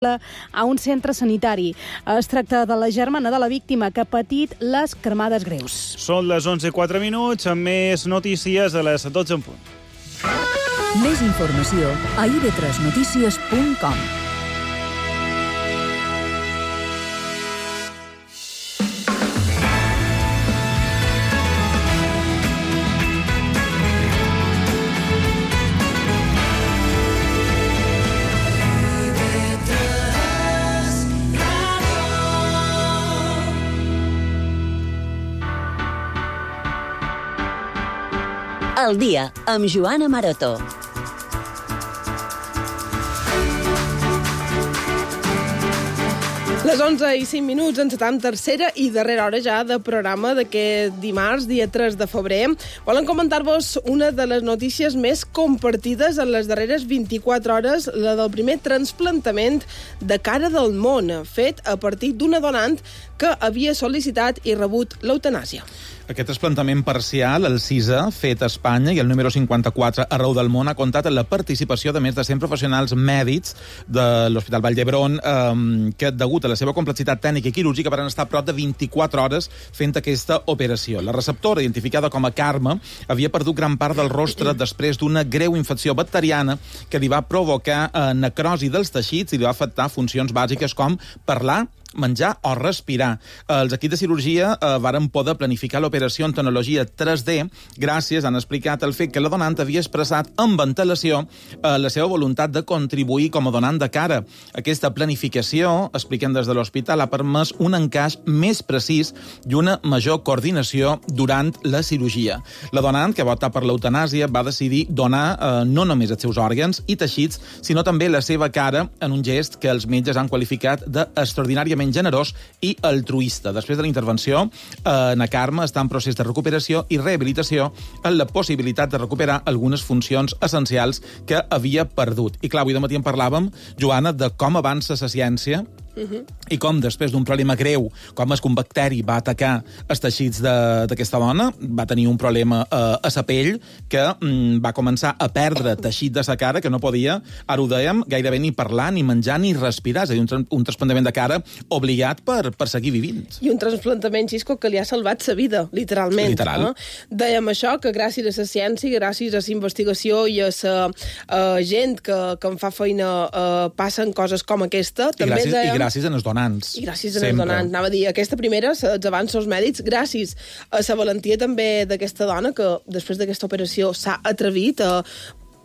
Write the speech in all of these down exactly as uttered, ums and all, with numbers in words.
a un centre sanitari. Es tracta de la germana de la víctima que ha patit les cremades greus. Són les onze i quatre minuts, amb més notícies a les dotze en punt. Més informació a i be tres notícies punt com. El dia, amb Joana Maroto. Les onze i cinc minuts, encetam tercera i darrera hora ja de programa d'aquest dimarts, dia tres de febrer. Volen comentar-vos una de les notícies més compartides en les darreres vint-i-quatre hores, la del primer transplantament de cara del món, fet a partir d'una donant que havia sol·licitat i rebut l'eutanàsia. Aquest trasplantament parcial, el sisè, fet a Espanya, i el número cinquanta-quatre arreu del món, ha comptat amb la participació de més de cent professionals mèdics de l'Hospital Vall d'Hebron, eh, que, degut a la seva complexitat tècnica i quirúrgica, van estar a prop de vint-i-quatre hores fent aquesta operació. La receptora, identificada com a Carme, havia perdut gran part del rostre després d'una greu infecció bacteriana que li va provocar eh, necrosi dels teixits i li va afectar funcions bàsiques com parlar, menjar o respirar. Els equips de cirurgia eh, varen poder planificar l'operació en tecnologia tres D gràcies, han explicat, el fet que la donant havia expressat amb antelació eh, la seva voluntat de contribuir com a donant de cara. Aquesta planificació, expliquen des de l'hospital, ha permès un encaix més precís i una major coordinació durant la cirurgia. La donant, que va optar per l'eutanàsia, va decidir donar eh, no només els seus òrgans i teixits, sinó també la seva cara en un gest que els metges han qualificat d'extraordinàriament generós i altruista. Després de la intervenció, eh, na Carme està en procés de recuperació i rehabilitació amb la possibilitat de recuperar algunes funcions essencials que havia perdut. I clar, avui de matí en parlàvem, Joana, de com avança la ciència Uh-huh. i com després d'un problema greu, com és que un bacteri va atacar els teixits d'aquesta dona, va tenir un problema eh, a sa pell que mm, va començar a perdre teixit de sa cara que no podia, ara ho dèiem, gairebé ni parlar, ni menjar, ni respirar. És a dir, un, un trasplantament de cara obligat per, per seguir vivint. I un trasplantament, Xisco, que li ha salvat sa vida, literalment. Literal. Eh? Dèiem això, que gràcies a la ciència, gràcies a la investigació i a la uh, gent que, que en fa feina uh, passen coses com aquesta. I també gràcies, dèiem... i gràcies als donants. I gràcies als donants. Anava a dir, aquesta primera, els avanços mèdics, gràcies a la valentia també d'aquesta dona que després d'aquesta operació s'ha atrevit a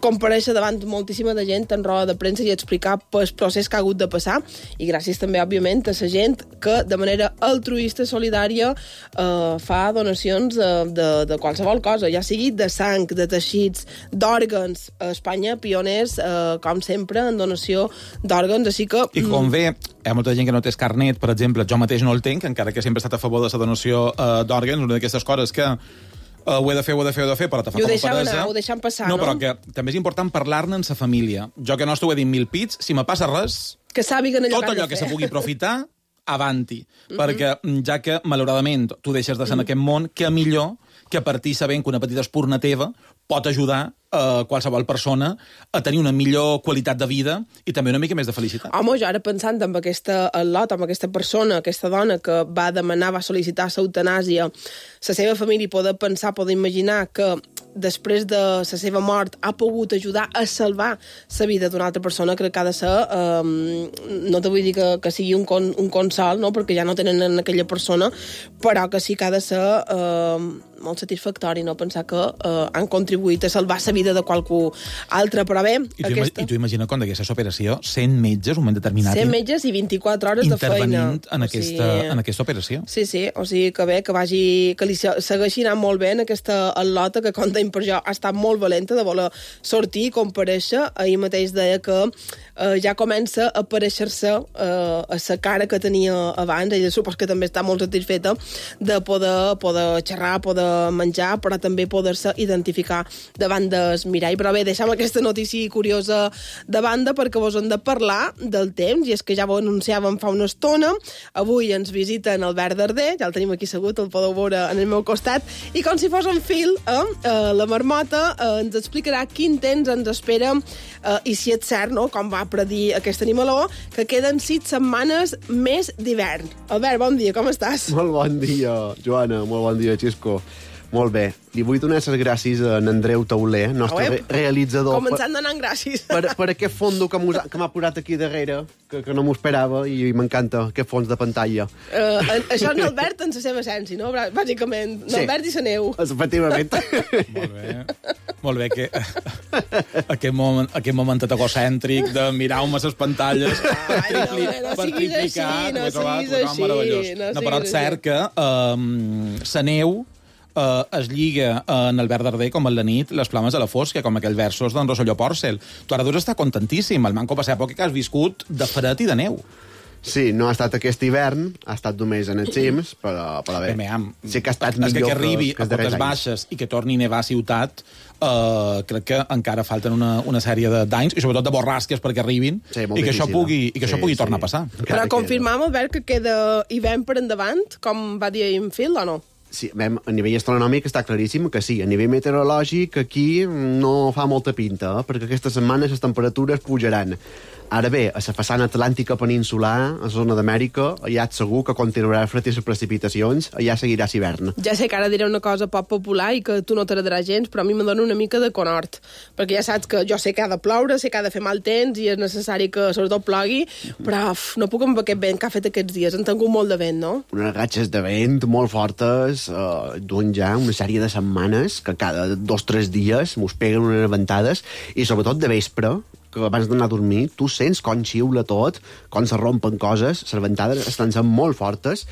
comparèixer davant moltíssima de gent en roda de premsa i explicar el procés que ha hagut de passar, i gràcies també, òbviament, a la gent que de manera altruista, solidària, eh, fa donacions de, de, de qualsevol cosa, ja sigui de sang, de teixits, d'òrgans. A Espanya, pioners, eh, com sempre, en donació d'òrgans, així que... I com bé, hi ha molta gent que no té carnet, per exemple, jo mateix no el tenc, encara que sempre he estat a favor de la donació eh, d'òrgans, una d'aquestes coses que Uh, ho he de fer, ho he de fer, ho he de fer, però te fa com a peresa. Anar, ho deixem passar, no? No, però que també és important parlar-ne en sa família. Jo que no t'ho he dit mil pits, si me passa res, que sàpiguen allò tot allò que se pugui aprofitar, avanti. Mm-hmm. Perquè, ja que, malauradament, tu deixes de ser mm-hmm. en aquest món, que millor que partir sabent que una petita espurna teva pot ajudar a qualsevol persona a tenir una millor qualitat de vida i també una mica més de felicitat. Home, jo ara pensant en aquesta lot, amb aquesta persona, aquesta dona que va demanar, va sol·licitar l'eutanàsia, la seva família poder pensar, poder imaginar que després de la seva mort ha pogut ajudar a salvar la vida d'una altra persona, crec que ha de ser, um, no te vull dir que, que sigui un, con, un consol, no? Perquè ja no tenen en aquella persona, però que sí que ha de ser uh, molt satisfactori, no? Pensar que uh, han contribuït a salvar la vida de qualcú altre, però bé... I tu, aquesta... i tu imagina quan d'aquesta operació cent metges, un moment determinat... cent metges i vint-i-quatre hores de feina. Intervenint en, aquesta, o sigui... en aquesta operació. Sí, sí, o sigui que bé, que vagi, que li segueixi anant molt bé en aquesta al·lota, que com deim per jo ha estat molt valenta de voler sortir i comparèixer. Ahir mateix deia que eh, ja comença a aparèixer-se eh, a la cara que tenia abans. Ella supos que també està molt satisfeta de poder, poder xerrar, poder menjar, però també poder-se identificar davant del mirall. Però bé, deixem aquesta notícia curiosa de banda perquè vos hem de parlar del temps, i és que ja ho anunciàvem fa una estona. Avui ens visita en Albert Darder, ja el tenim aquí assegut, el podeu veure en el meu costat, i com si fos en fil, eh, eh, la marmota eh, ens explicarà quin temps ens espera eh, i si és cert, no?, com va predir aquest animaló, que queden sis setmanes més d'hivern. Albert, bon dia, com estàs? Molt bon dia, Joana, molt bon dia, Xisco. Molt bé. Li vull donar les gràcies a en Andreu Tauler, nostre re realitzador. Començant donant gràcies. Per, per aquest fondo que m'ha posat aquí darrere, que, que no m'ho esperava, i m'encanta aquest fons de pantalla. Uh, això és Albert en la seva essència, no? Bàsicament, sí. Albert i la neu. Efectivament. Molt bé. Molt bé, que aquest moment, aquest moment egocèntric de mirar-me les pantalles Ai, tripli, no, no, per triplicar, així, no siguis així, meravellós. No, no, però és cert que um, la neu Uh, es lliga uh, en Albert Darder com en la nit les flames de la fosca, com aquells versos d'en Rosselló Pòrcel. Tu ara deus estar contentíssim, el manco passar època que has viscut de fred i de neu. Sí, no ha estat aquest hivern, ha estat només en els cims, però, però bé, bé am, sí que ha estat és millor que, que arribi que, que a Cotes Baixes i que torni a nevar a ciutat, uh, crec que encara falten una, una sèrie d'anys, i sobretot de borrasques perquè arribin, sí, i que això pugui, i que sí, això pugui sí. tornar a passar. Però confirmam, Albert, que queda hivern per endavant, com va dir en Phil, o no? Sí, a nivell astronòmic està claríssim que sí. A nivell meteorològic aquí no fa molta pinta, eh? Perquè aquesta setmana les temperatures pujaran. Ara bé, a la façana atlàntica peninsular, a la zona d'Amèrica, allà segur que continuarà el fred i les precipitacions, allà seguirà l'hivern. Ja sé que ara diré una cosa poc popular i que tu no t'agradarà gens, però a mi me dona una mica de conhort, perquè ja saps que jo sé que ha de ploure, sé que ha de fer mal temps i és necessari que sobretot plogui, però uf, no puc amb aquest vent que ha fet aquests dies. Han tingut molt de vent, no? Unes ratxes de vent molt fortes, eh, duen ja una sèrie de setmanes que cada dos o tres dies mos peguen unes ventades, i sobretot de vespre, que abans d'anar a dormir, tu sents com xiula tot, com se rompen coses, les ventades estan sent molt fortes.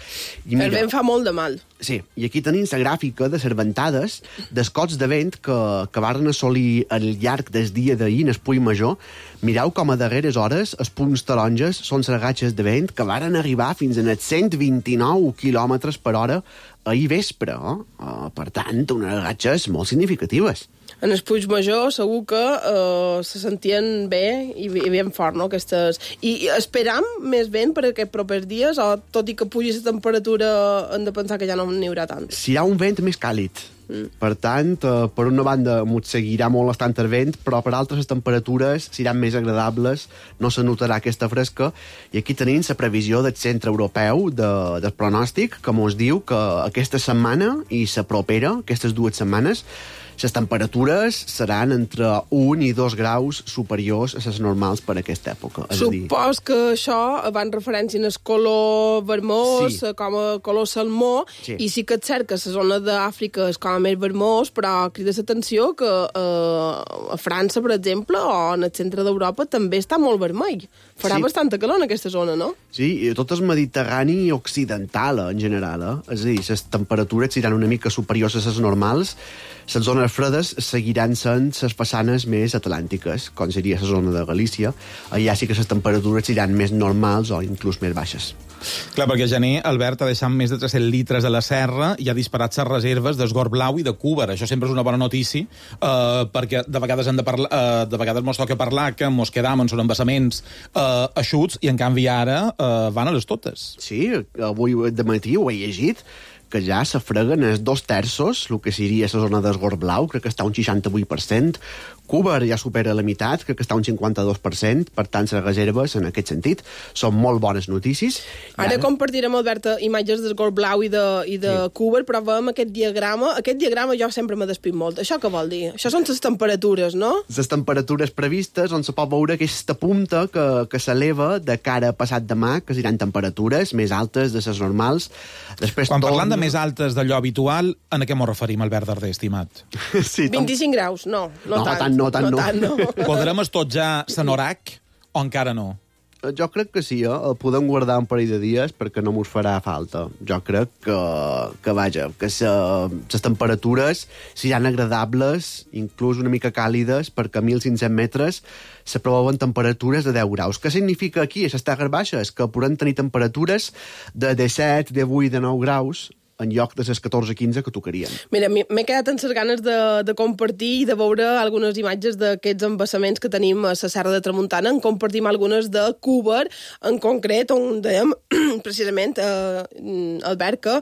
I mira, el vent fa molt de mal. Sí, i aquí tenim la gràfica de les ventades, dels cots de vent que, que varen assolir al llarg del dia d'ahir en el Puig Major. Mireu com a darreres hores els punts taronges són les ratxes de vent que varen arribar fins a cent vint-i-nou quilòmetres per hora ahir vespre. Eh? Per tant, unes ratxes molt significatives. En el Puig Major segur que eh, se sentien bé i, i ben fort, no?, aquestes... I, i esperam més vent per aquests propers dies, o tot i que pugi la temperatura hem de pensar que ja no n'hi haurà tant? Si hi ha un vent més càlid. Mm. Per tant, eh, per una banda m'ho seguirà molt estant el vent, però per altres les temperatures seran més agradables, no se notarà aquesta fresca, i aquí tenim la previsió del Centre Europeu de, del Pronòstic, que mos diu que aquesta setmana i la propera, aquestes dues setmanes, les temperatures seran entre un i dos graus superiors a les normals per aquesta època. Supos que això van referència en el color vermós, sí, com a color salmó, sí, i sí que és cert que la zona d'Àfrica és com a més vermós, però crida l'atenció que eh, a França, per exemple, o en el centre d'Europa també està molt vermell. Farà sí. bastanta calor en aquesta zona, no? Sí, i tot el Mediterrani occidental, en general. Eh? És a dir, les temperatures seran una mica superiors a les normals. Les zones fredes seguiran sent les façanes més atlàntiques, com seria la zona de Galícia. Allà sí que les temperatures seran més normals o inclús més baixes. Clar, perquè a gener Albert ha deixat més de tres-cents litres a la serra i ha disparat les reserves d'esgor blau i de cúber. Això sempre és una bona notícia, eh, perquè de vegades hem de parlar, eh, de vegades mos toca parlar que mos quedam en són embassaments eh, eixuts, i en canvi ara eh, van a les totes. Sí, avui de matí ho he llegit, que ja se freguen els dos terços, el que seria la zona d'esgor blau, crec que està un seixanta-vuit per cent. Cúber ja supera la meitat, crec que està un cinquanta-dos per cent, per tant, les reserves, en aquest sentit, són molt bones notícies. Ara, ara compartirem, Albert, imatges d'esgor blau i de, i de sí. Cúber, però veiem aquest diagrama. Aquest diagrama jo sempre m'ha despit molt. Això què vol dir? Això són les temperatures, no? Les temperatures previstes, on se pot veure aquesta punta que, que s'eleva de cara a passat demà, que seran temperatures més altes de les normals. Després, quan tot... parlant de més altes d'allò habitual, en a què mos referim, Albert Darder, estimat? Sí, tom... vint-i-cinc graus, no, no, no tant. tant. No, tant no. no, tant no. Podrem estar ja sanorac o encara no? Jo crec que sí, eh? El podem guardar un parell de dies perquè no mos farà falta. Jo crec que, que vaja, que les temperatures seran agradables, inclús una mica càlides, perquè a mil cinc-cents metres s'aproven temperatures de deu graus. Què significa aquí, a les terres baixes? Que podem tenir temperatures de disset, divuit, dinou graus, en lloc de les catorze quinze que tocarien. Mira, m'he quedat amb les ganes de, de compartir i de veure algunes imatges d'aquests embassaments que tenim a la Serra de Tramuntana. En compartim algunes de Cúber, en concret, on dèiem, precisament, eh, Albert, que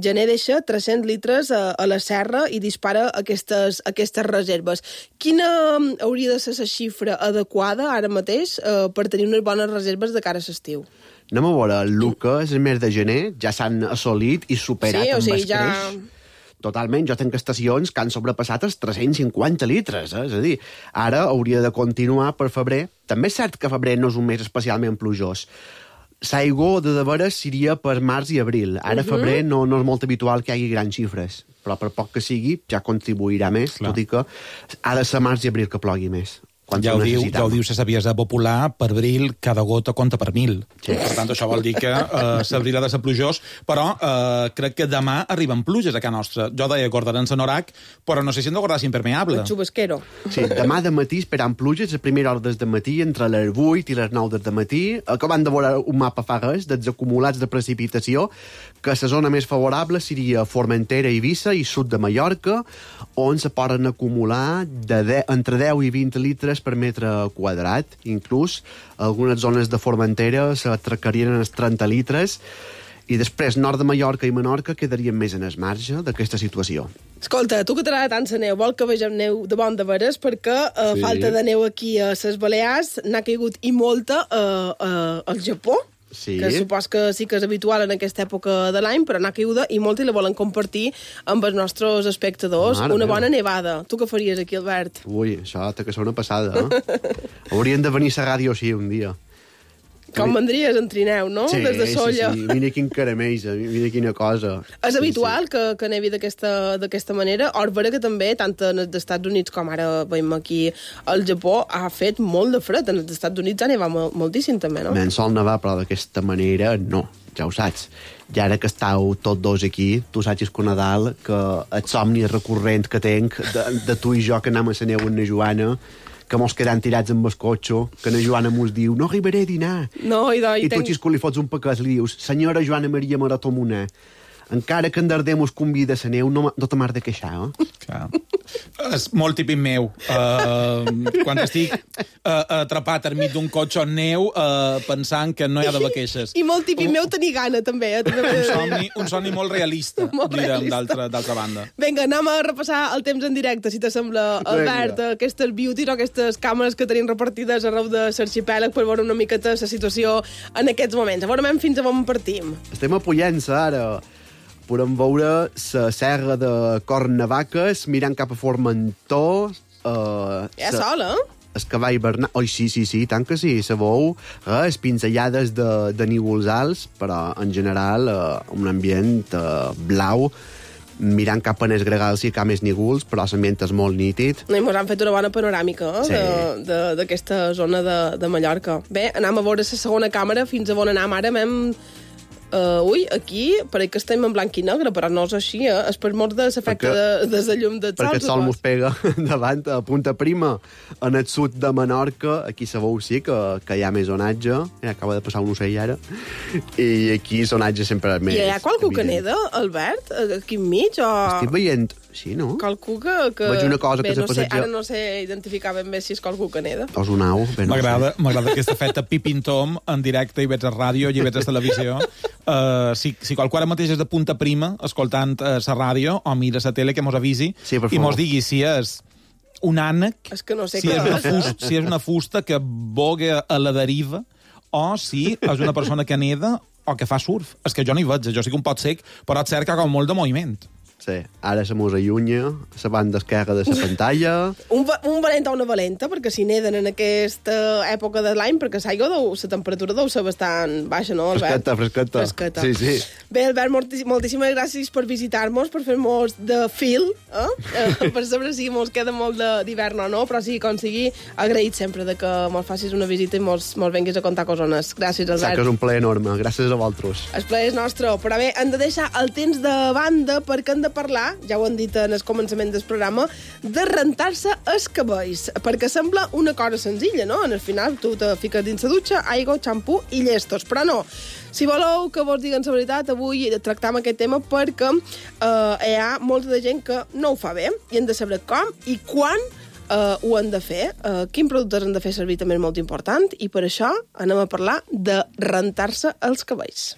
gener deixa tres-cents litres a, a la serra i dispara aquestes, aquestes reserves. Quina hauria de ser la xifra adequada ara mateix eh, per tenir unes bones reserves de cara a l'estiu? Anem a veure, el que és el mes de gener ja s'han assolit i superat sí, o sigui, amb escreix. Ja... Totalment, jo tenc estacions que han sobrepassat els tres-cents cinquanta litres, eh? És a dir, ara hauria de continuar per febrer. També és cert que febrer no és un mes especialment plujós. L'aigua de de veres seria per març i abril. Ara, uh -huh. febrer, no, no és molt habitual que hi hagi grans xifres, però per poc que sigui, ja contribuirà més, Clar. Tot i que ha de ser març i abril que plogui més. Ja ho, diu, ja ho diu la saviesa popular, per abril cada gota compta per mil. Sí. Per tant, això vol dir que eh, l'abril ha de ser plujós, però eh, crec que demà arriben pluges a casa nostra. Jo deia guardaran l'anorac, però no sé si hem de guardar l'impermeable. El xubasquero. Sí, demà de matí esperant pluges, a primera hora de matí, entre les vuit i les nou de matí, acabant de veure un mapa fa res dels acumulats de precipitació, que la zona més favorable seria Formentera, Eivissa i sud de Mallorca, on se poden acumular de de, entre deu i vint litres per metre quadrat. Inclús algunes zones de Formentera s'atracarien els trenta litres i després nord de Mallorca i Menorca quedarien més en el marge d'aquesta situació. Escolta, tu que t'agrada tant la neu, vol que vegem neu de bon de veres, perquè uh, sí. falta de neu aquí a les Balears, n'ha caigut i molta uh, uh, al Japó. Sí. Que supos que sí que és habitual en aquesta època de l'any, però n'ha caiguda i molt i la volen compartir amb els nostres espectadors. Mare una bona meva. nevada. Tu què faries aquí, Albert? Ui, això té que ser una passada, eh? Haurien de venir a la ràdio així un dia. Com vendries en trineu, no? Sí, Des de Solla. sí, sí. Mira quin caramell, mira quina cosa. És sí, habitual sí. que, que nevi d'aquesta manera? Or, vera que també, tant en els Estats Units com ara veiem aquí al Japó, ha fet molt de fred. En els Estats Units ha nevat moltíssim també, no? Ben sol nevar, però d'aquesta manera no, ja ho saps. I ara que estàu tots dos aquí, tu saps que Nadal, que el somni recurrent que tenc de, de tu i jo que anem a la neu amb la Joana, que mos quedem tirats amb el cotxe, que la Joana mos diu no arribaré a dinar. No, i, do, i, I tenc... tu, xisco, li fots un pecat, li dius senyora Joana Maria Marató Moner, encara que en Darder mos convida a la neu, no, no te m'has de queixar, eh? Clar. És molt típic meu. Uh, quan estic uh, atrapat enmig d'un cotxe en neu, uh, pensant que no hi ha d'haver queixes. I molt típic un... meu tenir gana, també. Eh? Un, somni, un somni molt realista, molt direm, d'altra banda. Vinga, anem a repassar el temps en directe, si t'assembla, Albert, aquestes beauties o aquestes càmeres que tenim repartides arreu de l'arxipèlag per veure una miqueta la situació en aquests moments. A veure fins a on partim. Estem apujant-se ara. Podem veure la serra de Cornavaques mirant cap a Formentor. Uh, Hi ha sol, eh? El cavall Bernat... Oi, sí, sí, sí, tant que sí. Se veu eh, pinzellades de, de nívols alts, però en general uh, un ambient uh, blau, mirant cap a les gregals i cap a més nígols, però l'ambient és molt nítid. I ens han fet una bona panoràmica eh, sí. d'aquesta zona de, de Mallorca. Bé, anem a veure la segona càmera, fins a on anem ara. Hem... Uh, ui, aquí pareix que estem en blanc i negre, però no és així, eh? És per mort de l'efecte de, de la llum del sol. Perquè el sol mos pega davant a Punta Prima, en el sud de Menorca. Aquí sabeu, sí, que, que hi ha més onatge. Ja acaba de passar un ocell ara. I aquí l'onatge sempre és més... I hi ha qualcú que neda, Albert, aquí enmig? O... Estic veient... Sí, no? Qualcú que... que... Veig una cosa bé, que no se passeja... Sé, ara no sé identificar ben bé si és qualcú que neda. O és un au, bé, no M'agrada m'agrada aquesta feta pipintom en directe, i veig a ràdio, i veig a televisió. Uh, si, si qualcú ara mateix és de Punta Prima, escoltant uh, la ràdio, o mira la tele, que mos avisi, sí, i mos digui si és un ànec, és que no sé si, que... és una fusta, si és una fusta que voga a la deriva, o si és una persona que neda o que fa surf. És que jo no hi veig, jo sí que un pot sec, però et cerca com molt de moviment. Sí, ara se mos allunya, la banda esquerra de la pantalla... Un, un valent o una valenta, perquè si neden en aquesta època de l'any, perquè l'aigua, la temperatura deu ser bastant baixa, no, Albert? Fresqueta, fresqueta. Fresqueta. Sí, sí. Bé, Albert, moltíssimes gràcies per visitar-nos, per fer-nos de fil, eh? eh per saber si mos queda molt d'hivern o no, però sí, com sigui, agraït sempre de que mos facis una visita i mos, mos venguis a contar cosones. Gràcies, Albert. Saps que és un plaer enorme, gràcies a vosaltres. El plaer és nostre, però bé, hem de deixar el temps de banda perquè hem de de parlar, ja ho han dit en el començament del programa, de rentar-se els cabells, perquè sembla una cosa senzilla, no? En el final tu te fiques dins la dutxa, aigua, xampú i llestos, però no. Si voleu que vos diguen la veritat, avui tractam aquest tema perquè eh, hi ha molta de gent que no ho fa bé i hem de saber com i quan Uh, ho han de fer, uh, quin productes han de fer servir també és molt important, i per això anem a parlar de rentar-se els cabells.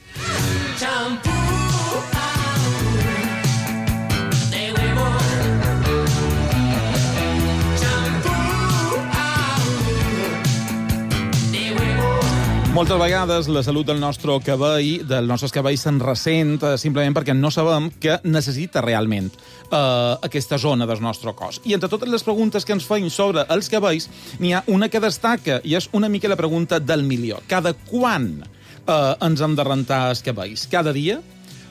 Moltes vegades la salut del nostre cabell, dels nostres cabells, se'n ressent eh, simplement perquè no sabem què necessita realment eh, aquesta zona del nostre cos. I entre totes les preguntes que ens feim sobre els cabells, n'hi ha una que destaca, i és una mica la pregunta del milió. Cada quan eh, ens hem de rentar els cabells? Cada dia?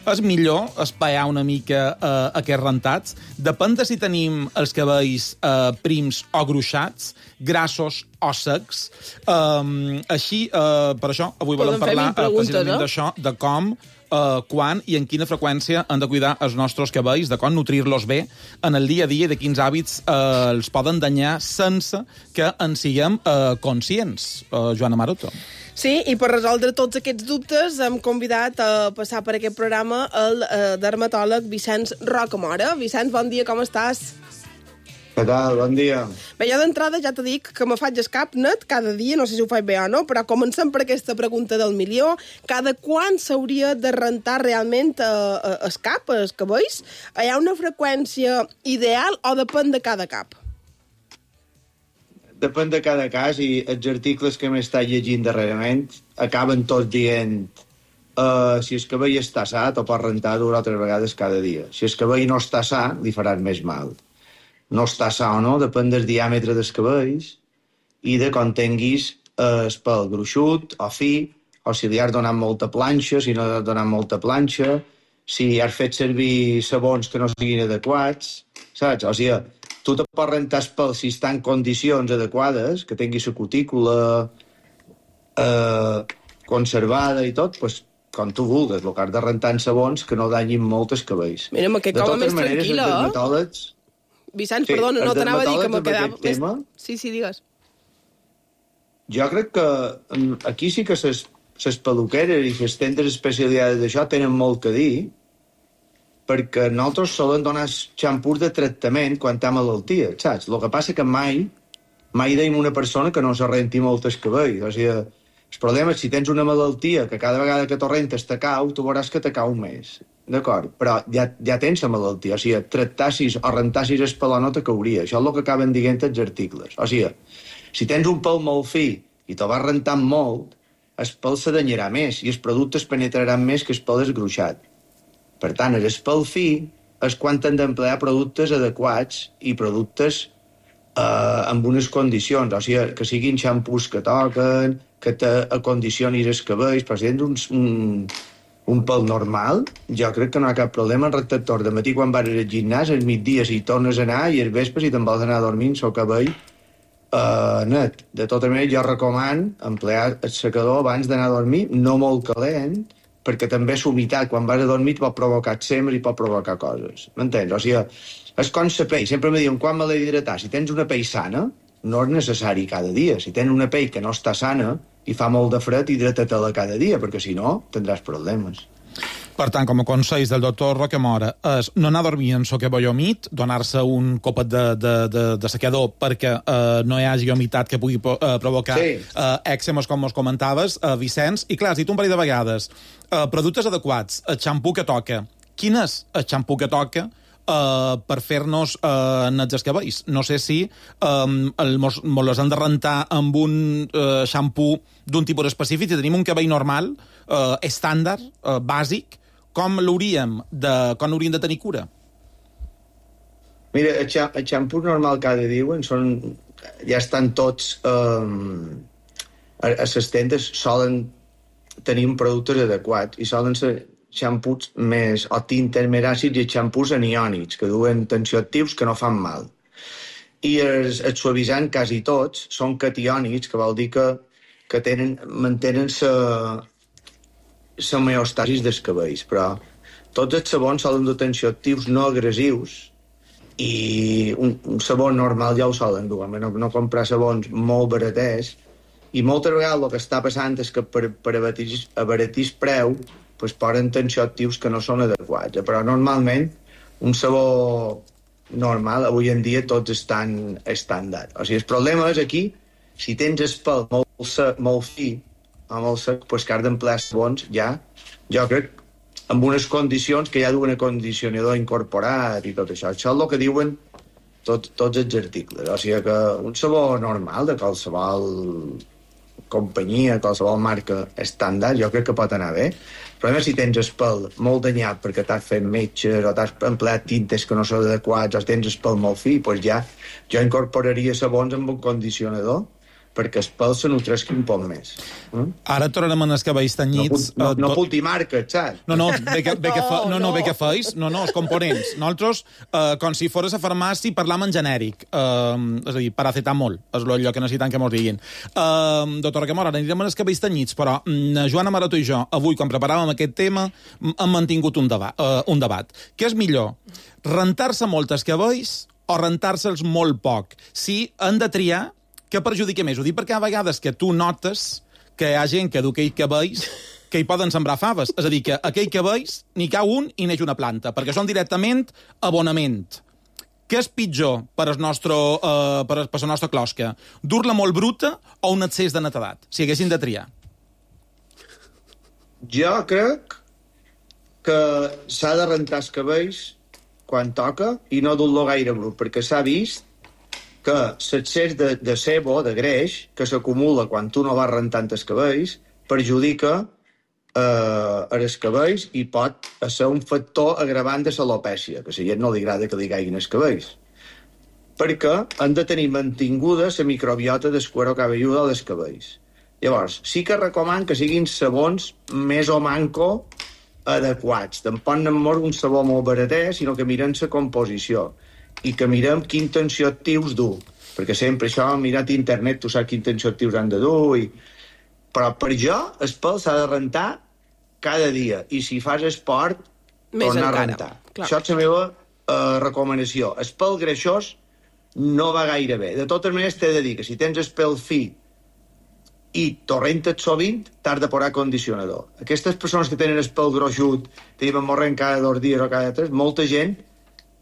És millor espaiar una mica eh, aquests rentats? Depèn de si tenim els cabells eh, prims o gruixats, grassos o secs. Um, així, uh, per això, avui volem parlar uh, precisament no? d'això, de com, uh, quan i en quina freqüència han de cuidar els nostres cabells, de com nutrir-los bé en el dia a dia i de quins hàbits uh, els poden danyar sense que en siguem uh, conscients. Uh, Joana Maroto. Sí, i per resoldre tots aquests dubtes hem convidat a passar per aquest programa el uh, dermatòleg Vicenç Rocamora. Vicenç, bon dia, com estàs? Què tal? Bon dia. Bé, jo d'entrada ja te dic que me faig el cap net cada dia, no sé si ho faig bé o no, però comencem per aquesta pregunta del milió. Cada quan s'hauria de rentar realment eh, el cap, els cabells? Hi ha una freqüència ideal o depèn de cada cap? Depèn de cada cas, i els articles que m'he estat llegint darrerament acaben tots dient uh, si el cabell està sa, t'ho pots rentar dues o tres vegades cada dia. Si el cabell no està sa, li faràs més mal. No està sa o no, depèn del diàmetre dels cabells i de com tinguis el pèl gruixut o fi, o si li has donat molta planxa, si no li has donat molta planxa, si has fet servir sabons que no siguin adequats, saps? O sigui, tu te pots rentar el pèl si està en condicions adequades, que tinguis la cutícula eh, conservada i tot, doncs, com tu vulguis, el que has de rentar en sabons que no danyin molt els cabells. Mira, que com més tranquil·la, eh? Dermatòlegs... Vicenç, sí, perdona, no t'anava a dir que me quedava... Tema, sí, sí, digues. Jo crec que aquí sí que ses, ses peluqueres i les tendes especialitzades d'això tenen molt que dir, perquè nosaltres solen donar xampús de tractament quan té malaltia, saps? El que passa que mai, mai deim una persona que no se renti molt el cabell. O sigui, el problema és si tens una malaltia que cada vegada que t'ho rentes te cau, tu veuràs que te cau més. D'acord? Però ja, ja tens la malaltia. O sigui, tractassis o rentassis el pèl o no te cauria. Això és el que acaben dient els articles. O sigui, si tens un pèl molt fi i te'l vas rentant molt, el pèl se danyarà més i els productes penetraran més que el pèl esgruixat. Per tant, el pèl fi és quan hem d'emplear productes adequats i productes eh, amb unes condicions. O sigui, que siguin xampús que toquen, que t'acondicionis els cabells, però si tens uns... Un, un pèl normal, jo crec que no hi ha cap problema en rector de matí quan vas al gimnàs, al migdia si tornes a anar i al vespre si te'n vols anar a dormir amb el cabell uh, net. De tota manera, jo recomano emplear el secador abans d'anar a dormir, no molt calent, perquè també la humitat quan vas a dormir pot provocar eczemes i pot provocar coses. M'entens? O sigui, és com la pell. Sempre me diuen quan me l'he d'hidratar. Si tens una pell sana, no és necessari cada dia. Si tens una pell que no està sana i fa molt de fred, hidrata-te-la cada dia, perquè si no, tindràs problemes. Per tant, com a consells del doctor Rocamora, és no anar a dormir en el cabell humit, donar-se un copet de, de, de, de secador perquè eh, no hi hagi humitat que pugui eh, provocar sí. eh, èczemes, com ens comentaves, eh, Vicenç. I clar, has dit un parell de vegades, eh, productes adequats, el xampú que toca. Quin és el xampú que toca Uh, per fer-nos uh, nets els cabells? No sé si um, el, mos, mos les han de rentar amb un uh, xampú d'un tipus específic. Si tenim un cabell normal, uh, estàndard, uh, bàsic, com l'hauríem de, com hauríem de tenir cura? Mira, el, xa, el xampú normal que ara diuen són, ja estan tots um, a, a les tendes solen tenir productes adequats i solen ser xampús més, o tintes més àcids i xampús aniònics, que duen tensioactius que no fan mal. I els, els suavitzants, quasi tots, són catiònics, que vol dir que, que tenen, mantenen la homeostasis dels cabells, però tots els sabons solen dur tensioactius no agressius i un, un sabó normal ja ho solen dur, no, no comprar sabons molt baraters, i moltes vegades el que està passant és que per, per abaratir, abaratir el preu pues, posen tensioactius que no són adequats, però normalment un sabó normal, avui en dia tots estan estàndard. O sigui, el problema és aquí, si tens el pèl molt sec, molt fi, o molt sec, doncs que has d'emplear sabons ja, jo crec, amb unes condicions que ja duen acondicionador incorporat i tot això. Això és el que diuen tot, tots els articles. O sigui que un sabó normal de qualsevol companyia, qualsevol marca estàndard, jo crec que pot anar bé. Però si tens el pèl molt danyat perquè t'has fet metges o t'has empleat tintes que no són adequats o tens el pèl molt fi, doncs ja jo incorporaria sabons amb un condicionador perquè el pèl se nutresqui un poc més. Mm? Ara tornarem en els cabells tenyits... No, no, no tot... multimarques, saps? No, no, bé que, bé que fa... no, no, no. bé que feis, no, no, els components. Nosaltres, eh, com si fores a farmàcia, parlam en genèric. Eh, és a dir, paracetamol, és allò que necessitem que mos diguin. Eh, doctora Camora, ara anirem en els cabells tenyits, però mm, Joana Maroto i jo, avui, quan preparàvem aquest tema, hem mantingut un, deba uh, un debat. Què és millor? Rentar-se molt els cabells o rentar-se'ls molt poc? Si han de triar, què perjudica més? Ho dic perquè a vegades que tu notes que hi ha gent que du aquells cabells que hi poden sembrar faves. És a dir, que aquells cabells n'hi cau un i neix una planta, perquè són directament abonament. Què és pitjor per al nostre, uh, per, per la nostra closca? Dur-la molt bruta o un excés de netedat? Si haguessin de triar. Jo crec que s'ha de rentar els cabells quan toca i no dur-lo gaire brut, perquè s'ha vist que l'excés de, de sebo, de greix, que s'acumula quan tu no vas rentant els cabells, perjudica eh, els cabells i pot ser un factor agravant de l'alopècia, que a la gent no li agrada que li caiguin els cabells. Perquè han de tenir mantinguda la microbiota del cuero cabelludo dels cabells. Llavors, sí que recoman que siguin sabons més o manco adequats. Tampoc no mor un sabó molt barater, sinó que miren la composició i que mirem quin tensioactius du, perquè sempre això, mirat a internet, tu saps quin tensioactius han de dur, i... però per jo el pèl s'ha de rentar cada dia, i si fas esport, més tornar encara. a rentar. Clar. Això és la meva uh, recomanació. El pèl greixós no va gaire bé. De totes maneres, t'he de dir que si tens el pèl fi i t'ho rentes sovint, t'has de posar condicionador. Aquestes persones que tenen el pèl gruixut, te diuen morren cada dos dies o cada tres, molta gent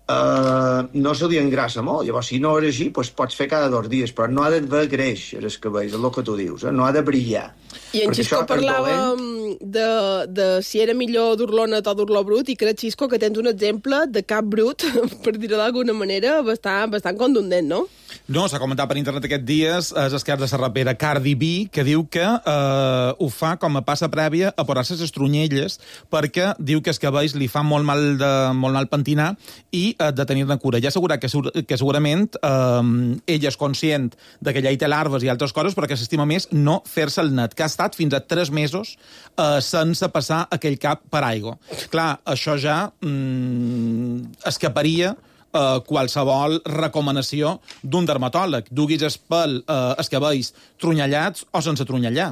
Uh, no se li engrassa molt. Llavors, si no és així, doncs pots fer cada dos dies, però no ha d'haver greix, els cabells, és el que tu dius, eh? No ha de brillar. I en Xisco parlava de, de si era millor dur-lo net o dur-lo brut, i crec, Xisco, que tens un exemple de cap brut, per dir-ho d'alguna manera, bastant, bastant contundent, no? No, s'ha comentat per internet aquests dies, és el cas de la rapera Cardi B, que diu que eh, ho fa com a passa prèvia a posar-se les estrunyelles, perquè diu que els cabells li fan molt mal, de, molt mal pentinar i eh, de tenir-ne cura. Ja assegurat que, que segurament eh, ella és conscient de que allà hi té larves i altres coses, però que s'estima més no fer-se el net, que ha estat fins a tres mesos eh, sense passar aquell cap per aigua. Clar, això ja mm, escaparia Uh, qualsevol recomanació d'un dermatòleg. Duguis el pèl, uh, els cabells trunyellats o sense trunyellar.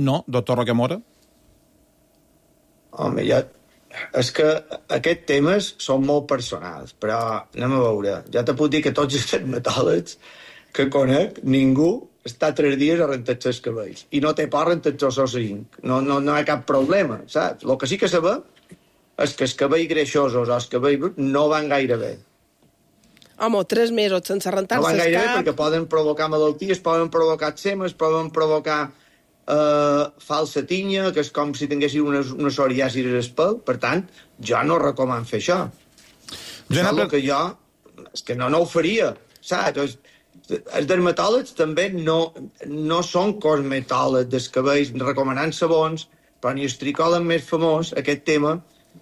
No, doctor Rocamora? Home, ja... És que aquests temes són molt personals, però anem a veure. Ja te puc dir que tots els dermatòlegs que conec, ningú està tres dies a rentar-se els cabells. I no té por rentar-se els cinc. No, no, no hi ha cap problema, saps? El que sí que sabem és que els cabells greixosos o els cabells bruts no van gaire bé. Home, tres mesos sense rentar-se no van gaire cap... bé perquè poden provocar malalties, poden provocar eczemes, poden provocar eh, falsa tinya, que és com si tinguessin una, una psoriasi al pèl. Per tant, jo no recomano fer això. Jo això és el que jo... És que no, no ho faria, saps? Els dermatòlegs també no, no són cosmetòlegs dels cabells recomanant sabons, però ni el tricòleg més famós, aquest tema,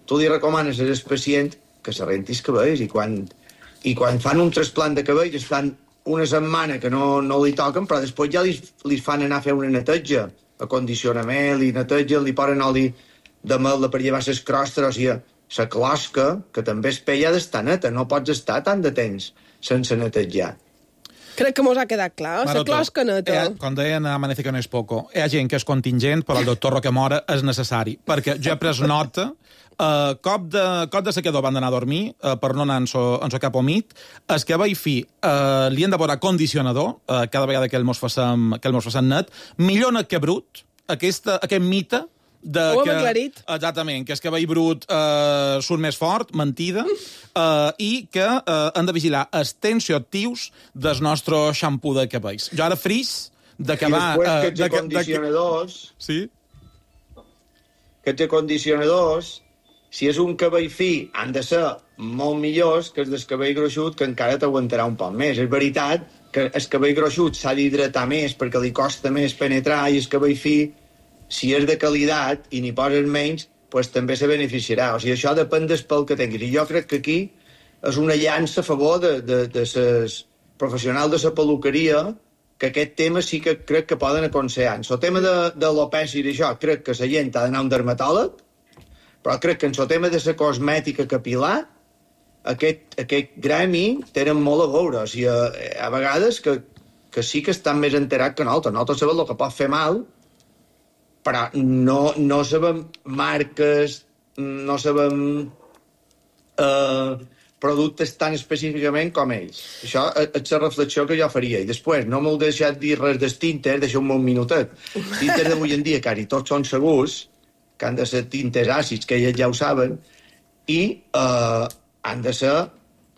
tu li recomanes al pacient que se renti els cabells i quan... I quan fan un trasplant de cabell, estan una setmana que no, no li toquen, però després ja li, li fan anar a fer una neteja, acondicionament, li netegen, li posen oli de mel per llevar les crostes, o sigui, la closca, que també es peia d'estar neta, no pots estar tant de temps sense netejar. Crec que mos ha quedat clar. La closca neta. Eh, quan deien Amanece que no és poco, hi ha gent que és contingent, però el doctor Roquemora és necessari, perquè jo he pres nota, uh, cop, de, cop de sequedor van anar a dormir, uh, per no anar en so, en so cap omit, el que va i fi, uh, li hem de posar condicionador, uh, cada vegada que el mos facem, que el mos facem net, millor net que brut, aquesta, aquest mite, de ho hem que, aclarit. Exactament, que és que veí brut eh, surt més fort, mentida, eh, i que eh, han de vigilar els tensioactius del nostre xampú de cabells. Jo ara fris d'acabar... I després eh, aquests acondicionadors... Sí? Aquests acondicionadors, si és un cabell fi, han de ser molt millors que els del cabell gruixut, que encara t'aguantarà un poc més. És veritat que el cabell gruixut s'ha d'hidratar més perquè li costa més penetrar, i el cabell fi, si és de qualitat i n'hi poses menys, pues també se beneficiarà. O sigui, això depèn del pèl que tinguis. I jo crec que aquí és una llança a favor de, de, de ses professionals de la peluqueria, que aquest tema sí que crec que poden aconsellar. En el tema de, de l'alopècia i d'això, crec que la gent ha d'anar a un dermatòleg, però crec que en el tema de la cosmètica capilar, aquest, aquest gremi tenen molt a veure. O sigui, a, a vegades que, que sí que estan més enterats que nosaltres. Nosaltres sabem el que pot fer mal, però no, no sabem marques, no sabem eh, productes tan específicament com ells. Això és la reflexió que jo faria. I després, no m'heu deixat dir res dels tinters, deixeu-me un minutet. Els tinters d'avui en dia, quasi tots són segurs, que han de ser tinters àcids, que ells ja ho saben, i eh, han de ser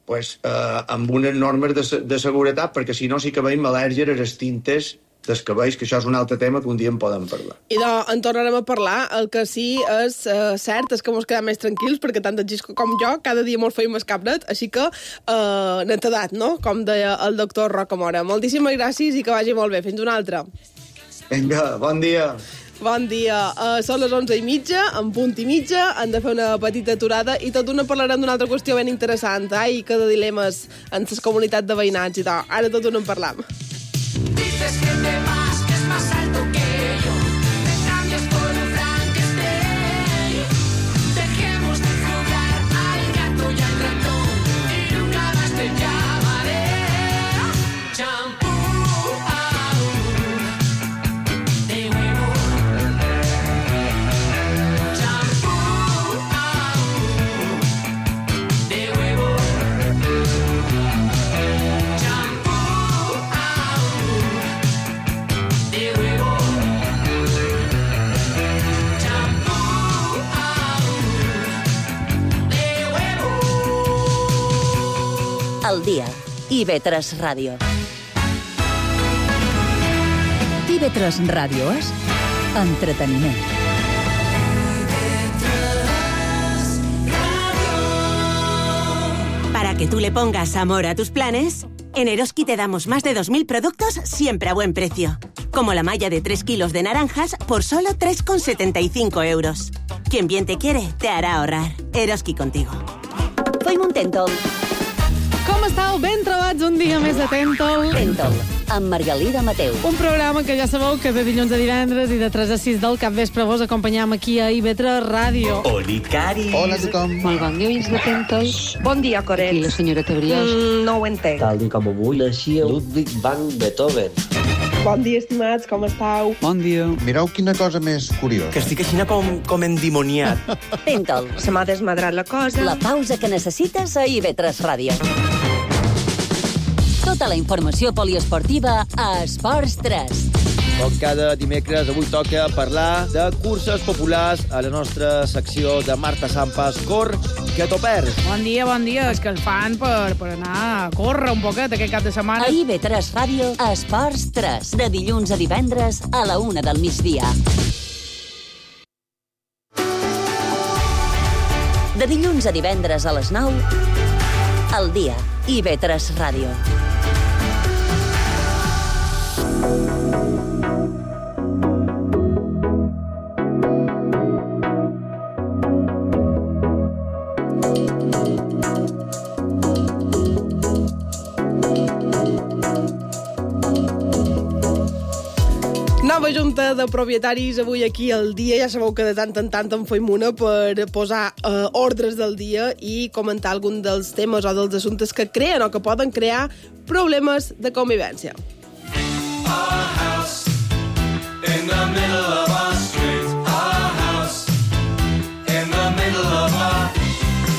pues, eh, amb unes normes de, de seguretat, perquè si no sí que veiem al·lèrgia a les tintes dels cabells, que això és un altre tema que un dia en podem parlar. I de, en tornarem a parlar. El que sí és uh, cert és que mos quedem més tranquils, perquè tant el Gisco com jo cada dia mos feim el cap net, així que uh, netedat, no? Com deia el doctor Rocamora. Moltíssimes gràcies i que vagi molt bé. Fins una altra. Vinga, bon dia. Bon dia. Uh, són les onze i mitja, en punt i mitja, han de fer una petita aturada i tot d'una parlarem d'una altra qüestió ben interessant, ai, que de dilemes en les comunitats de veïnats i tal. Ara tot d'una en parlam. Dices que te vas, que es más alto que yo. Me cambias por un Frankenstein. Dejemos de jugar al gato y al ratón, y nunca más te llamaré. Champú, de huevo. Champú, de huevo. Al dia. I ve tres Ràdio. I ve tres Ràdio és entreteniment. Para que tú le pongas amor a tus planes, en Eroski te damos más de dos mil productos siempre a buen precio. Como la malla de tres kilos de naranjas por solo tres con setenta y cinco euros. Quien bien te quiere, te hará ahorrar. Eroski contigo. Fem un Tentol. Com estàu? Ben trobats un dia més de Tentol. Tentol, amb Margalida Mateu. Un programa que ja sabeu que de dilluns a divendres i de tres a sis del capvespre vos acompanyam aquí a I V tres Ràdio. Oli, Cari. Hola a tothom. Molt bon dia, oients de Tentol. Bon dia, Coret. Aquí la senyora Tebriós. Mm, no ho entenc. Tal com avui naixia Ludwig van Beethoven. Bon dia, estimats, com estàu? Bon dia. Mireu quina cosa més curiosa. Que estic així com, com endimoniat. Tentol. Se m'ha desmadrat la cosa. La pausa que necessites a I V tres Ràdio. Tota la informació poliesportiva a Esports tres. Com cada dimecres, avui toca parlar de curses populars a la nostra secció de Marta Sampas. Cor, que t'ho perds. Bon dia, bon dia. És que el fan per, per anar a córrer un poquet aquest cap de setmana. A I V tres Ràdio, a Esports tres, de dilluns a divendres a la una del migdia. De dilluns a divendres a les nou, al dia, I V tres Ràdio. Junta de Propietaris avui aquí al dia. Ja sabeu que de tant en tant en feim una per posar eh, ordres del dia i comentar algun dels temes o dels assumptes que creen o que poden crear problemes de convivència. Our house in the middle of our street. Our house in the middle of our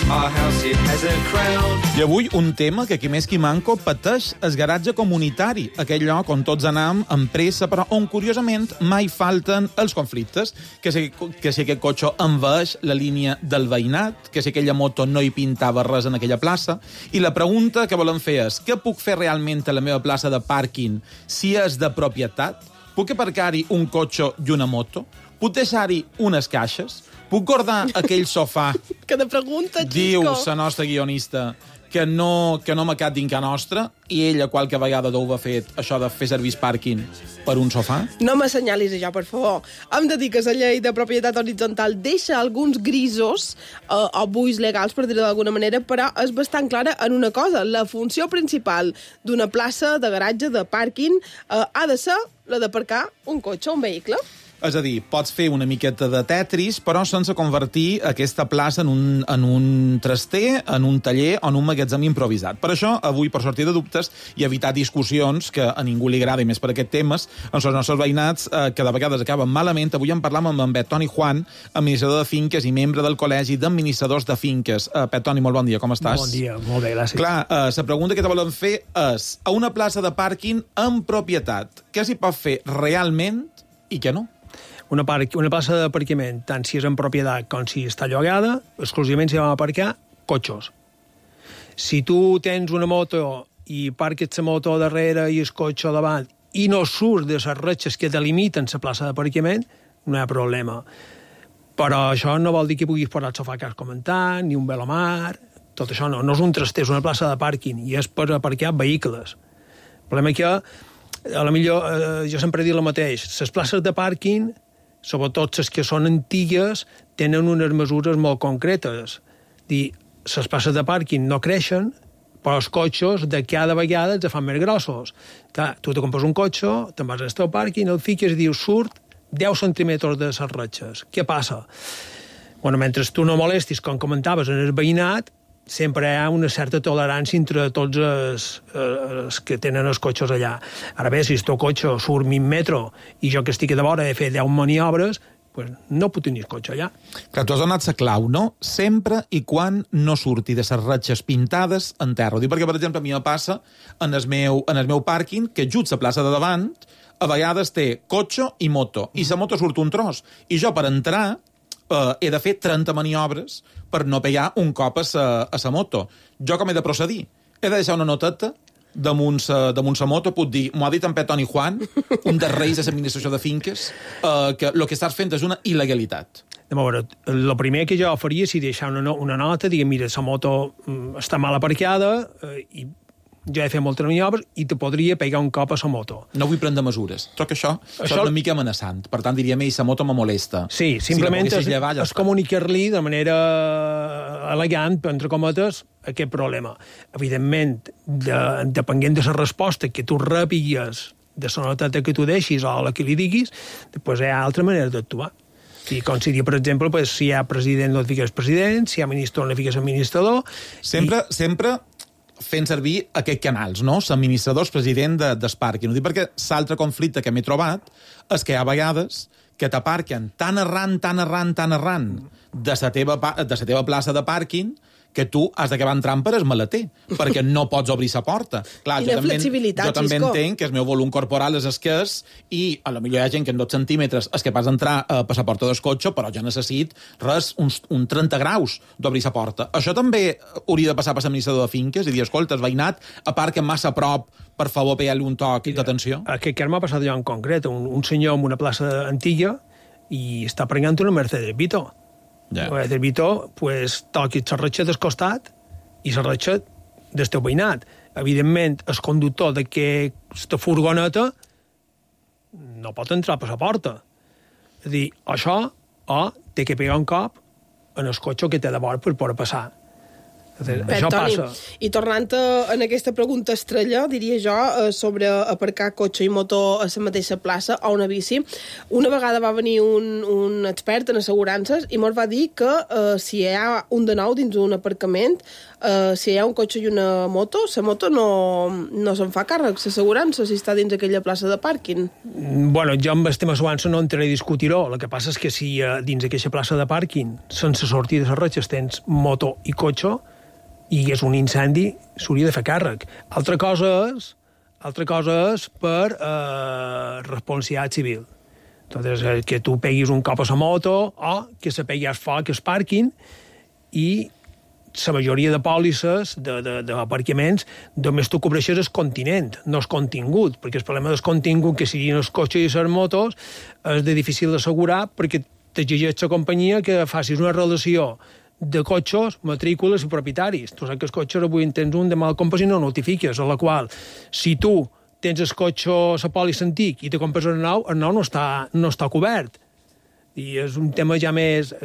Our house, it has a crown. I avui un tema que qui més qui manco pateix el garatge comunitari, aquell lloc on tots anam amb pressa, però on, curiosament, mai falten els conflictes, que si, que si aquest cotxe envaeix la línia del veïnat, que si aquella moto no hi pintava res en aquella plaça, i la pregunta que volen fer és: què puc fer realment a la meva plaça de pàrquing si és de propietat? Puc aparcar-hi un cotxe i una moto? Puc deixar-hi unes caixes? Puc guardar aquell sofà? Que de pregunta, Xisco. Diu la nostra guionista que no, que no m'ha quedat dintre nostra, i ella qualque vegada d'ho ha fet, això de fer servir pàrquing per un sofà? No m'assenyalis això, per favor. Hem de dir que la llei de propietat horitzontal deixa alguns grisos eh, o buits legals, per dir-ho d'alguna manera, però és bastant clara en una cosa. La funció principal d'una plaça de garatge, de pàrquing, eh, ha de ser la d'aparcar un cotxe o un vehicle. És a dir, pots fer una miqueta de Tetris, però sense convertir aquesta plaça en un, en un traster, en un taller o en un magatzem improvisat. Per això, avui, per sortir de dubtes i evitar discussions que a ningú li agrada, i més per aquest temes, amb els nostres veïnats, eh, que de vegades acaben malament, avui en parlam amb en Pep Toni Juan, administrador de finques i membre del Col·legi d'Administradors de Finques. Eh, Pep Toni, molt bon dia, com estàs? Bon dia, molt bé, gràcies. Clar, eh, la pregunta que te volen fer és: a una plaça de pàrquing en propietat, què s'hi pot fer realment i què no? Una, parc, una plaça d'aparcament, tant si és en propietat com si està llogada, exclusivament s'hi van aparcar cotxos. Si tu tens una moto i parques la moto darrere i el cotxe davant i no surts de les retxes que delimiten la plaça d'aparcament, no hi ha problema. Però això no vol dir que puguis posar el sofà que has comentat, ni un velomar, tot això no. No és un traster, és una plaça de pàrquing i és per aparcar vehicles. El problema és que, a la millor, eh, jo sempre he dit el mateix, les places de pàrquing, sobretot les que són antigues, tenen unes mesures molt concretes. Dir, les places de pàrquing no creixen, però els cotxes de cada vegada els fan més grossos. Clar, tu te compres un cotxe, te'n vas al teu pàrquing, el fiques i dius, surt deu centímetres de les retxes. Què passa? Bueno, mentre tu no molestis, com comentaves, en el veïnat, sempre hi ha una certa tolerància entre tots els, els que tenen els cotxes allà. Ara bé, si el teu cotxe surt mig metro i jo que estic de vora he de fer deu maniobres, pues no puc tenir el cotxe allà. Clar, tu has donat la clau, no? Sempre i quan no surti de les ratxes pintades en terra. Ho dic perquè, per exemple, a mi em passa en el meu, en el meu pàrquing que just la plaça de davant a vegades té cotxe i moto, i la moto surt un tros. I jo, per entrar, Uh, he de fer trenta maniobres per no pegar un cop a sa, a sa moto. Jo com he de procedir? He de deixar una noteta damunt sa, damunt sa moto, puc dir, m'ho ha dit en Pep Toni Juan, un dels reis de l'administració de finques, uh, que el que estàs fent és una il·legalitat. A veure, el primer que jo faria és deixar una, una nota, diguem, mira, la moto està mal aparcada eh, i jo he fet moltes maniobres i te podria pegar un cop a la moto. No vull prendre mesures. Troc això, això, això és una mica amenaçant. Per tant, diríem, ei, la moto me molesta. Sí, simplement si es, llevar, ja es comunicar-li de manera elegant, entre cometes, aquest problema. Evidentment, de, depenent de la resposta que tu repigues de la noteta que tu deixis o la que li diguis, després hi ha altra manera d'actuar. I com si, per exemple, pues, si hi ha president, no et fiques president, si hi ha ministre, no et fiques administrador... Sempre, i... sempre fent servir aquests canals, no? L'administrador, el president de, del pàrquing. Ho dic perquè l'altre conflicte que m'he trobat és que hi ha vegades que t'aparquen tan arran, tan arran, tan arran de la teva, de la teva plaça de pàrquing que tu has d'acabar entrant per el maleter, perquè no pots obrir la porta. Clar, Quina jo també, flexibilitat, jo també Xisco. entenc que el meu volum corporal és escàs i a lo millor hi ha gent que en dos centímetres és capaç d'entrar eh, per la porta del cotxe, però jo necessit res, uns, un trenta graus d'obrir la porta. Això també hauria de passar per l'administrador de finques i dir, escolta, el veïnat aparca massa a prop, per favor, pegar-li un toc d'atenció. Aquest cas m'ha passat jo en concret, un, un senyor en una plaça antiga i està pregant una Mercedes Vito. Yeah. La Mercedes Vito, pues, toqui la ratxa del costat i la ratxa del teu veïnat. Evidentment, el conductor d'aquesta furgoneta no pot entrar per la porta. És a dir, això o té que pegar un cop en el cotxe que té de vora per poder passar. Mm. Bé, Això Toni, passa. I tornant a, en aquesta pregunta estrella, diria jo, eh, sobre aparcar cotxe i motor a la mateixa plaça o una bici, una vegada va venir un, un expert en assegurances i ens va dir que eh, si hi ha un de nou dins un aparcament, eh, si hi ha un cotxe i una moto, la moto no, no se'n fa càrrec, l'assegurança, si està dins aquella plaça de pàrquing. Bueno, jo amb el tema assegurança no entraré a discutir-ho. El que passa és que si eh, dins aquesta plaça de pàrquing, sense sortir de les ratxes, tens moto i cotxe, i és un incendi, s'hauria de fer càrrec. Altra cosa és, altra cosa és per eh, responsabilitat civil. Entonces, eh, que tu peguis un cop a la moto o que se pegui al foc al pàrquing i la majoria de pòlisses d'aparcaments només tu cobreixes el continent, no el contingut, perquè el problema del contingut, que siguin els cotxes i les motos, és de difícil d'assegurar perquè t'exigeix la companyia que facis una relació de cotxes, matrícules i propietaris. Tu saps que els cotxes avui en tens un, demà el compres i no notifiques, a la qual, si tu tens el cotxe a la pòlissa antic i te compres el nou, el nou no està, no està cobert. I és un tema ja més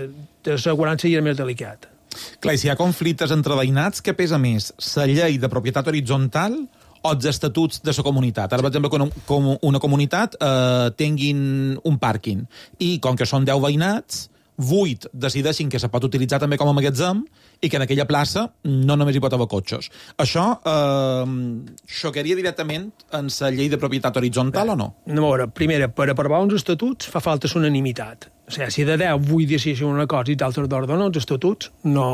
d'assegurança i és més delicat. Clar, i si hi ha conflictes entre veïnats, què pesa més? La llei de propietat horitzontal o els estatuts de la comunitat? Ara, per exemple, que una, com una comunitat eh, tinguin un pàrquing i, com que són deu veïnats, vuit decideixin que se pot utilitzar també com a magatzem i que en aquella plaça no només hi pot haver cotxes. Això eh, xocaria directament en la llei de propietat horitzontal Bé, o no? No, a veure, primera, per aprovar uns estatuts fa falta unanimitat. O sigui, si de deu vull decidir una cosa i d'altres d'ordre no, els estatuts no...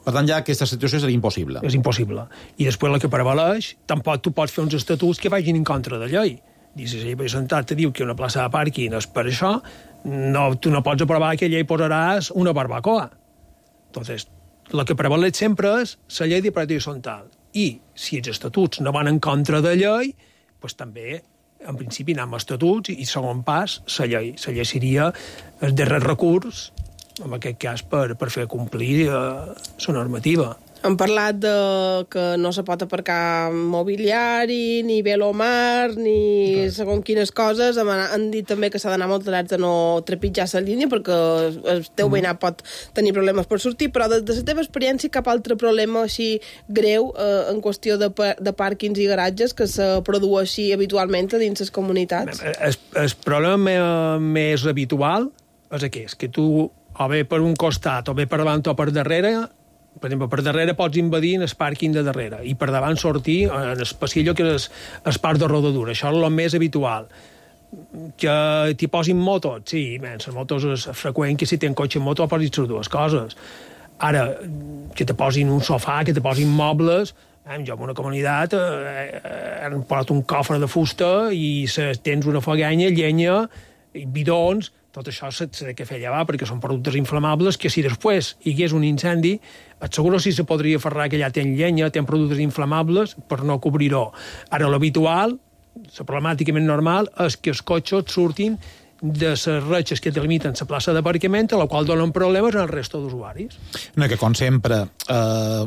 Per tant, ja aquesta situació seria impossible. És impossible. I després la que prevaleix, tampoc tu pots fer uns estatuts que vagin en contra de llei. I si la llei presentat te diu que una plaça de pàrquing és per això, no, tu no pots aprovar que allà hi posaràs una barbacoa. Entonces, el que prevaleix sempre és la llei de propietat horitzontal. I si els estatuts no van en contra de llei, doncs també, en principi, anem a estatuts i, segon pas, la llei. La llei seria el darrer recurs, en aquest cas, per, per fer complir eh, la normativa. Hem parlat de que no se pot aparcar mobiliari, ni velomar, ni segons quines coses. Han dit també que s'ha d'anar molt alerta de no trepitjar la línia perquè el teu veïnat pot tenir problemes per sortir, però des de la teva experiència cap altre problema així greu eh, en qüestió de, de pàrquings i garatges que se produeixi habitualment a dins les comunitats? El, el problema més habitual és aquest, que tu o bé per un costat, o bé per davant o per darrere, per exemple, per darrere pots invadir en el pàrquing de darrere i per davant sortir en el passillo que és el parc de rodadura. Això és el més habitual. Que t'hi posin motos, sí, bé, les motos és freqüent que si tens cotxe i moto posis les dues coses. Ara, que te posin un sofà, que te posin mobles, eh, jo en una comunitat eh, han posat un cofre de fusta i se, tens una foguenya, llenya, bidons, tot això s'ha de fer llevar perquè són productes inflamables que si després hi hagués un incendi, et seguro si se podria aferrar que allà ten llenya, ten productes inflamables per no cobrir-ho. Ara, l'habitual, la problemàtica més normal, és que els cotxes surtin de les ratxes que delimiten la plaça d'aparcament, a la qual donen problemes al resto d'usuaris. No, que com sempre, eh,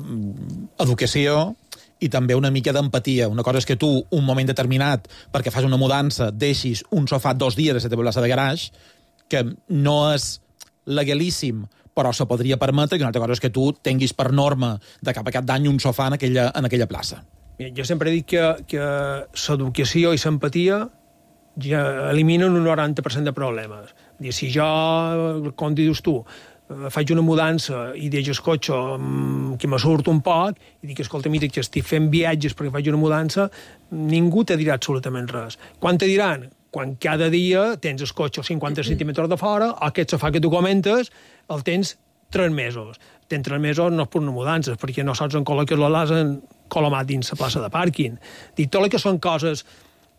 educació i també una mica d'empatia. Una cosa és que tu, un moment determinat, perquè fas una mudança, deixis un sofà dos dies a la teva plaça de garaix, que no és legalíssim, però se podria permetre, que una altra cosa és que tu tinguis per norma de cap a cap d'any un sofà en aquella, en aquella plaça. Jo sempre dic que, que l'educació i l'empatia ja eliminen un noranta per cent de problemes. Si jo, com dius tu, faig una mudança i deixo el cotxe que me surt un poc i dic, escolta, mira, que estic fent viatges perquè faig una mudança, ningú te dirà absolutament res. Quan te diran? Quan cada dia tens el cotxe cinquanta centímetres de fora, o aquest sofà que tu comentes el tens tres mesos. Tens tres mesos no és per una mudança, perquè no saps en col·loques l'has col·lomat dins la plaça de pàrquing. Dic, tot el que són coses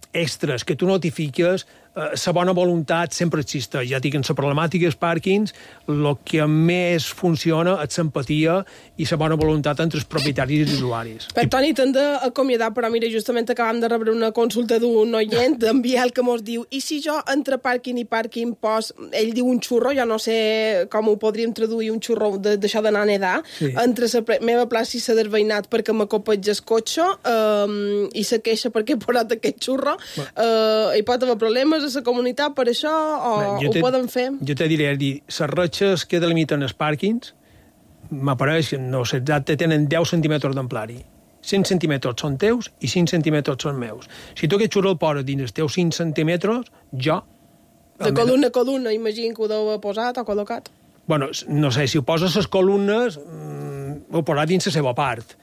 extres que tu notifiques, eh, la bona voluntat sempre existeix. Ja dic, en la problemàtica dels pàrquings, el que més funciona és l'empatia i la bona voluntat entre els propietaris i els usuaris. Per Toni, t'hem d'acomiadar, però mira, justament acabam de rebre una consulta d'un oient, d'en Biel, que mos diu, i si jo entre pàrquing i pàrquing pos, ell diu un xurro, jo no sé com ho podríem traduir, un xurro d'això d'anar a nedar, sí. Entre la meva plaça i la del veïnat perquè m'acopatge el cotxe um, i la queixa perquè he posat aquest xurro, uh, hi pot haver problemes a la comunitat per això o Bé, ho te, poden fer? Jo te diré, dir, les ratxes que delimiten els pàrquings m'apareix, no sé exacte, tenen deu centímetres d'amplari. cent centímetres són teus i cinc centímetres són meus. Si tu aquest xurro el poses dins els teus cinc centímetres, jo... De columna a columna, imagino que ho deu haver posat o col·locat. Bueno, no sé, si ho poses les columnes, mmm, ho posat dins la seva part.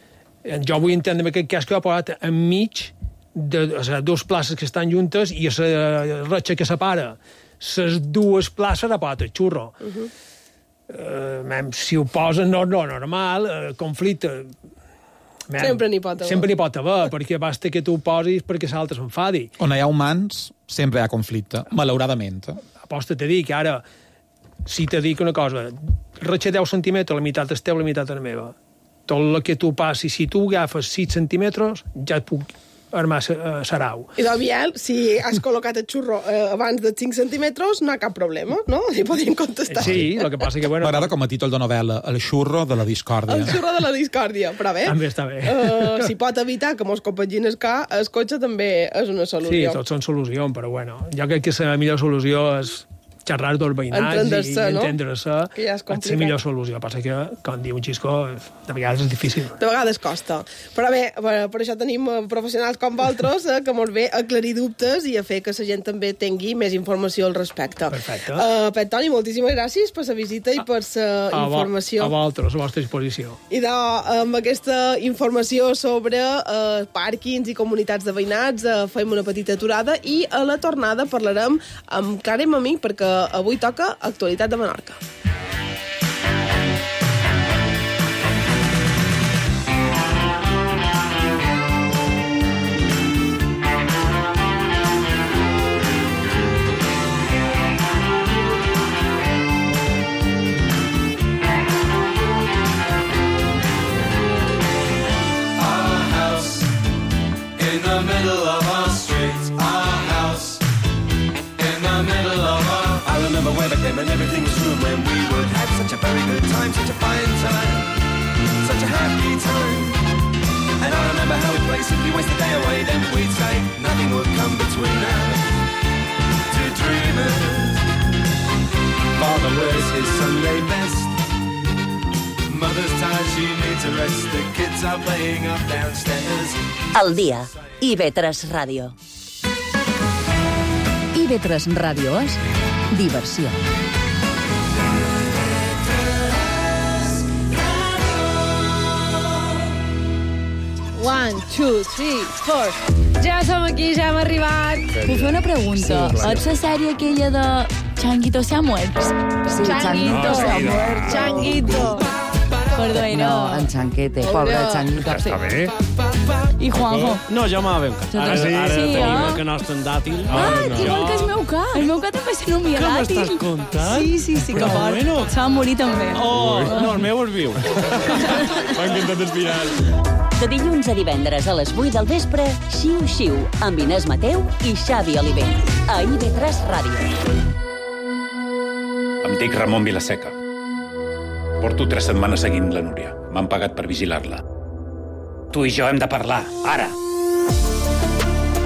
Jo vull entendre en aquest cas que ho ha posat enmig de les dues places que estan juntes i la ratxa que separa les dues places ha posat el xurro. Uh -huh. uh, si ho posen no, no normal, uh, conflicte... Man, sempre n'hi pot haver. Sempre n'hi pot haver, perquè basta que tu ho posis perquè l'altre s'enfadi. On hi ha humans, sempre hi ha conflicte, malauradament. Aposta te dic, ara, si te dic una cosa, ratxa deu centímetres, la meitat és teva, la meitat és meva. Tot el que tu passis, si tu agafes sis centímetres, ja et puc armar uh, sarau. I doncs, Biel, si has col·locat el xurro eh, abans de cinc centímetres, no hi ha cap problema, no? Li podríem contestar. Sí, el que passa que... Bueno, m'agrada com a títol de novel·la, el xurro de la discòrdia. El xurro de la discòrdia, però bé. També està bé. Uh, si pot evitar que mos compagin el, ca, el cotxe també és una solució. Sí, tots són solucions, però bueno, jo crec que la millor solució és xerrar dels veïnats i, i no? entendre-se, que ja és és la millor solució. Passa que, com diu un xisco, de vegades és difícil. De vegades costa. Però bé, per, per això tenim professionals com vosaltres eh, que ens ve a aclarir dubtes i a fer que la gent també tingui més informació al respecte. Perfecte. Uh, Pep Toni, moltíssimes gràcies per la visita i per la informació. A vosaltres, a vostra disposició. I de, amb aquesta informació sobre uh, pàrquings i comunitats de veïnats uh, fem una petita aturada i a la tornada parlarem amb Clara i Mamí perquè avui toca Actualitat de Menorca. And everything was room when we would have such a very good time, such a fine time, such a happy time. And I remember how we'd play, simply waste the day away, then we'd say nothing would come between us, two dreamers. Father wears his Sunday best, mother's tired, she needs a rest, the kids are playing up downstairs. El dia, I V tres Ràdio. I V tres Ràdio és diversió. One, two, three, four. Ja som aquí, ja hem arribat. Puc fer una pregunta? Sí, Ets la sèrie aquella de Changuito se ha muerto? Sí, Changuito se ha muerto. Changuito. Perdó, No, en Chanquete, pobre Changuito. Està bé. I Juanjo? No, jo m'ha ben Jo Ara, també. ara Sí, tenim eh? el que nostre en dàtil. Ah, igual que el meu ca. El meu ca també se nomia Què dàtil. m'estàs contant? Sí, sí, sí, que Però fort. bueno. Se va morir també. Oh, no, el meu es viu. M'ha encantat el final. De dilluns a divendres a les vuit del vespre, Xiu Xiu, amb Inés Mateu i Xavi Oliver. A I V tres Ràdio. Em dic Ramon Vilaseca. Porto tres setmanes seguint la Núria. M'han pagat per vigilar-la. Tu i jo hem de parlar, ara.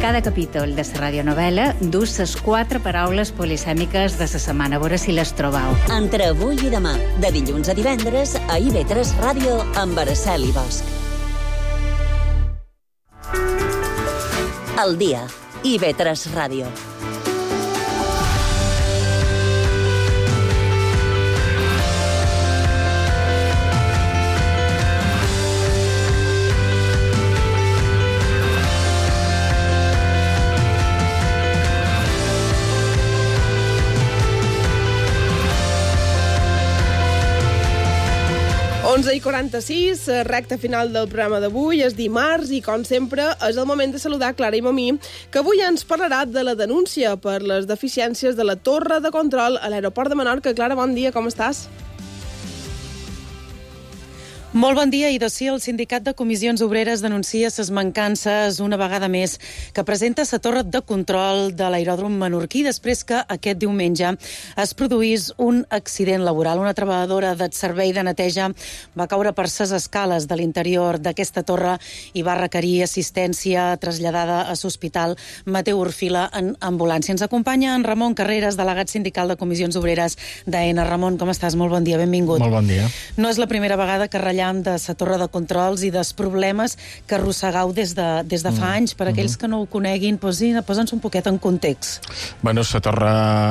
Cada capítol de la radionovel·la du les quatre paraules polisèmiques de la setmana. A veure si les trobau. Entre avui i demà, de dilluns a divendres, a I V tres Ràdio, amb Araceli Bosch. El dia, I V tres Ràdio. onze i quaranta-sis, recta final del programa d'avui, és dimarts i, com sempre, és el moment de saludar Clara i Mamí, que avui ens parlarà de la denúncia per les deficiències de la torre de control a l'aeroport de Menorca. Clara, bon dia, com estàs? Molt bon dia, i d'ací el Sindicat de Comissions Obreres denuncia ses mancances una vegada més que presenta la torre de control de l'aeròdrom menorquí després que aquest diumenge es produís un accident laboral. Una treballadora del servei de neteja va caure per ses escales de l'interior d'aquesta torre i va requerir assistència traslladada a l'Hospital Mateu Orfila en ambulància. Ens acompanya en Ramon Carreras, delegat sindical de Comissions Obreres d'AENA. Ramon, com estàs? Molt bon dia, benvingut. Molt bon dia. No és la primera vegada que ratllem de la torre de controls i dels problemes que arrossegau des de, des de fa anys. Per aquells que no ho coneguin, posa'ns un poquet en context. Bueno, la torre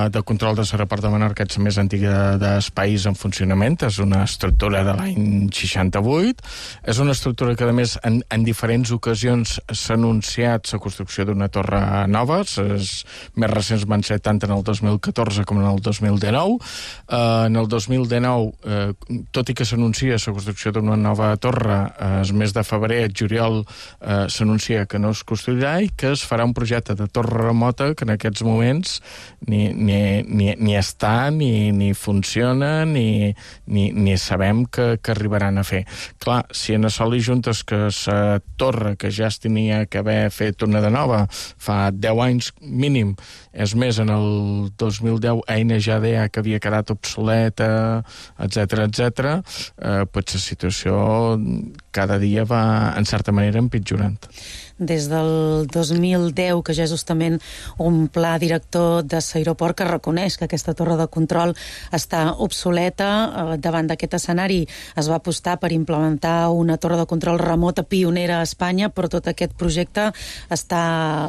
de control de l'aeroport de Menorca és la més antiga dels país en funcionament. És una estructura de l'any seixanta-vuit. És una estructura que, a més, en, en diferents ocasions s'ha anunciat la construcció d'una torre nova. Les més recents van ser tant en el dos mil catorze com en el dos mil dinou. Uh, en el dos mil dinou, uh, tot i que s'anuncia la construcció d'una nova torre, eh, el mes de febrer, el juliol, eh, s'anuncia que no es construirà i que es farà un projecte de torre remota que en aquests moments ni, ni, ni, ni està, ni, ni funciona, ni, ni, ni sabem que, que arribaran a fer. Clar, si en això li juntes que la torre que ja es tenia que haver fet una de nova fa deu anys mínim, és més, en el dos mil deu AENA ja deia que havia quedat obsoleta, etcètera, etcètera, eh, potser la situació cada dia va, en certa manera, empitjorant. Des del dos mil deu, que ja és justament un pla director de l'aeroport que reconeix que aquesta torre de control està obsoleta. Davant d'aquest escenari es va apostar per implementar una torre de control remota pionera a Espanya, però tot aquest projecte està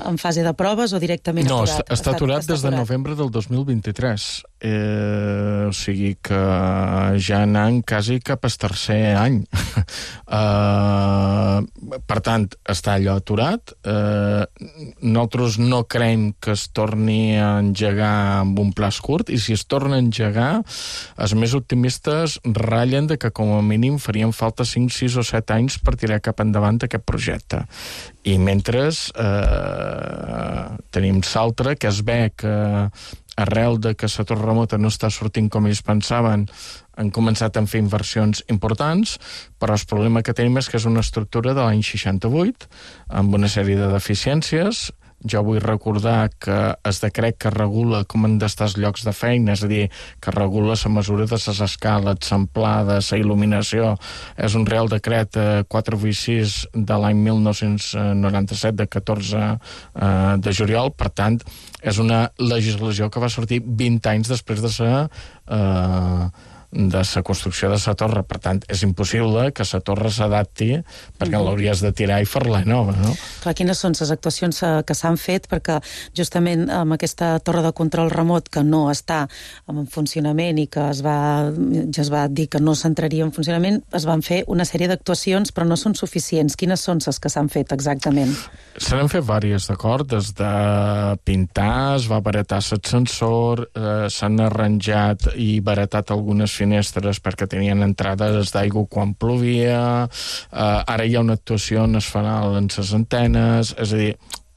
en fase de proves o directament no, aturat? No, està, està aturat des de novembre del dos mil vint-i-tres. Eh, o sigui que ja anant quasi cap al tercer any. eh, per tant, està allò aturat. Eh, nosaltres no creiem que es torni a engegar amb un plaç curt, i si es torna a engegar, els més optimistes ratllen de que com a mínim farien falta cinc, sis o set anys per tirar cap endavant aquest projecte. I mentre eh, tenim l'altre, que es ve que arrel de que la torre remota no està sortint com ells pensaven, han començat a fer inversions importants, però el problema que tenim és que és una estructura de l'any seixanta-vuit, amb una sèrie de deficiències. Jo vull recordar que el decret que regula com han d'estar els llocs de feina, és a dir, que regula la mesura de les escales, l'amplada, la il·luminació, és un Real Decret quatre cents vuitanta-sis de l'any mil nou-cents noranta-set, de catorze de juliol. Per tant, és una legislació que va sortir vint anys després de la eh, de la construcció de la torre. Per tant, és impossible que la torre s'adapti perquè mm-hmm. l'hauries de tirar i fer-la nova, no? Clar, quines són les actuacions que s'han fet perquè justament amb aquesta torre de control remot que no està en funcionament i que es va, ja es va dir que no s'entraria en funcionament, es van fer una sèrie d'actuacions però no són suficients. Quines són les que s'han fet exactament? Se n'han fet diverses, d'acord? Des de pintar, es va baratar l'ascensor, eh, s'han arranjat i baratat algunes finestres perquè tenien entrades d'aigua quan plovia, eh, ara hi ha una actuació on es farà en les antenes, és a dir,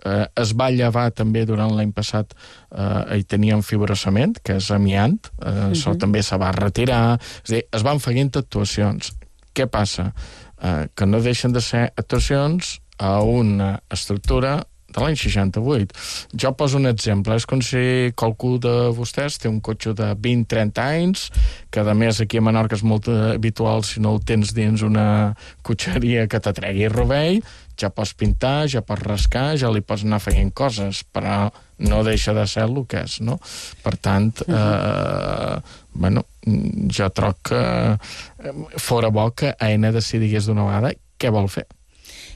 eh, es va llevar també durant l'any passat, eh, hi teníem fibrocement, que és amiant, eh, uh-huh. això també se va retirar, és a dir, es van fent actuacions. Què passa? Eh, que no deixen de ser actuacions a una estructura de l'any seixanta-vuit. Jo poso un exemple. És com si qualcú de vostès té un cotxe de vint trenta anys, que a més aquí a Menorca és molt habitual, si no el tens dins una cotxeria que t'atregui rovell, ja pots pintar, ja pots rascar, ja li pots anar fent coses, però no deixa de ser el que és, no? Per tant, eh, bueno, jo troc que fora bo que AENA decidigués d'una vegada què vol fer.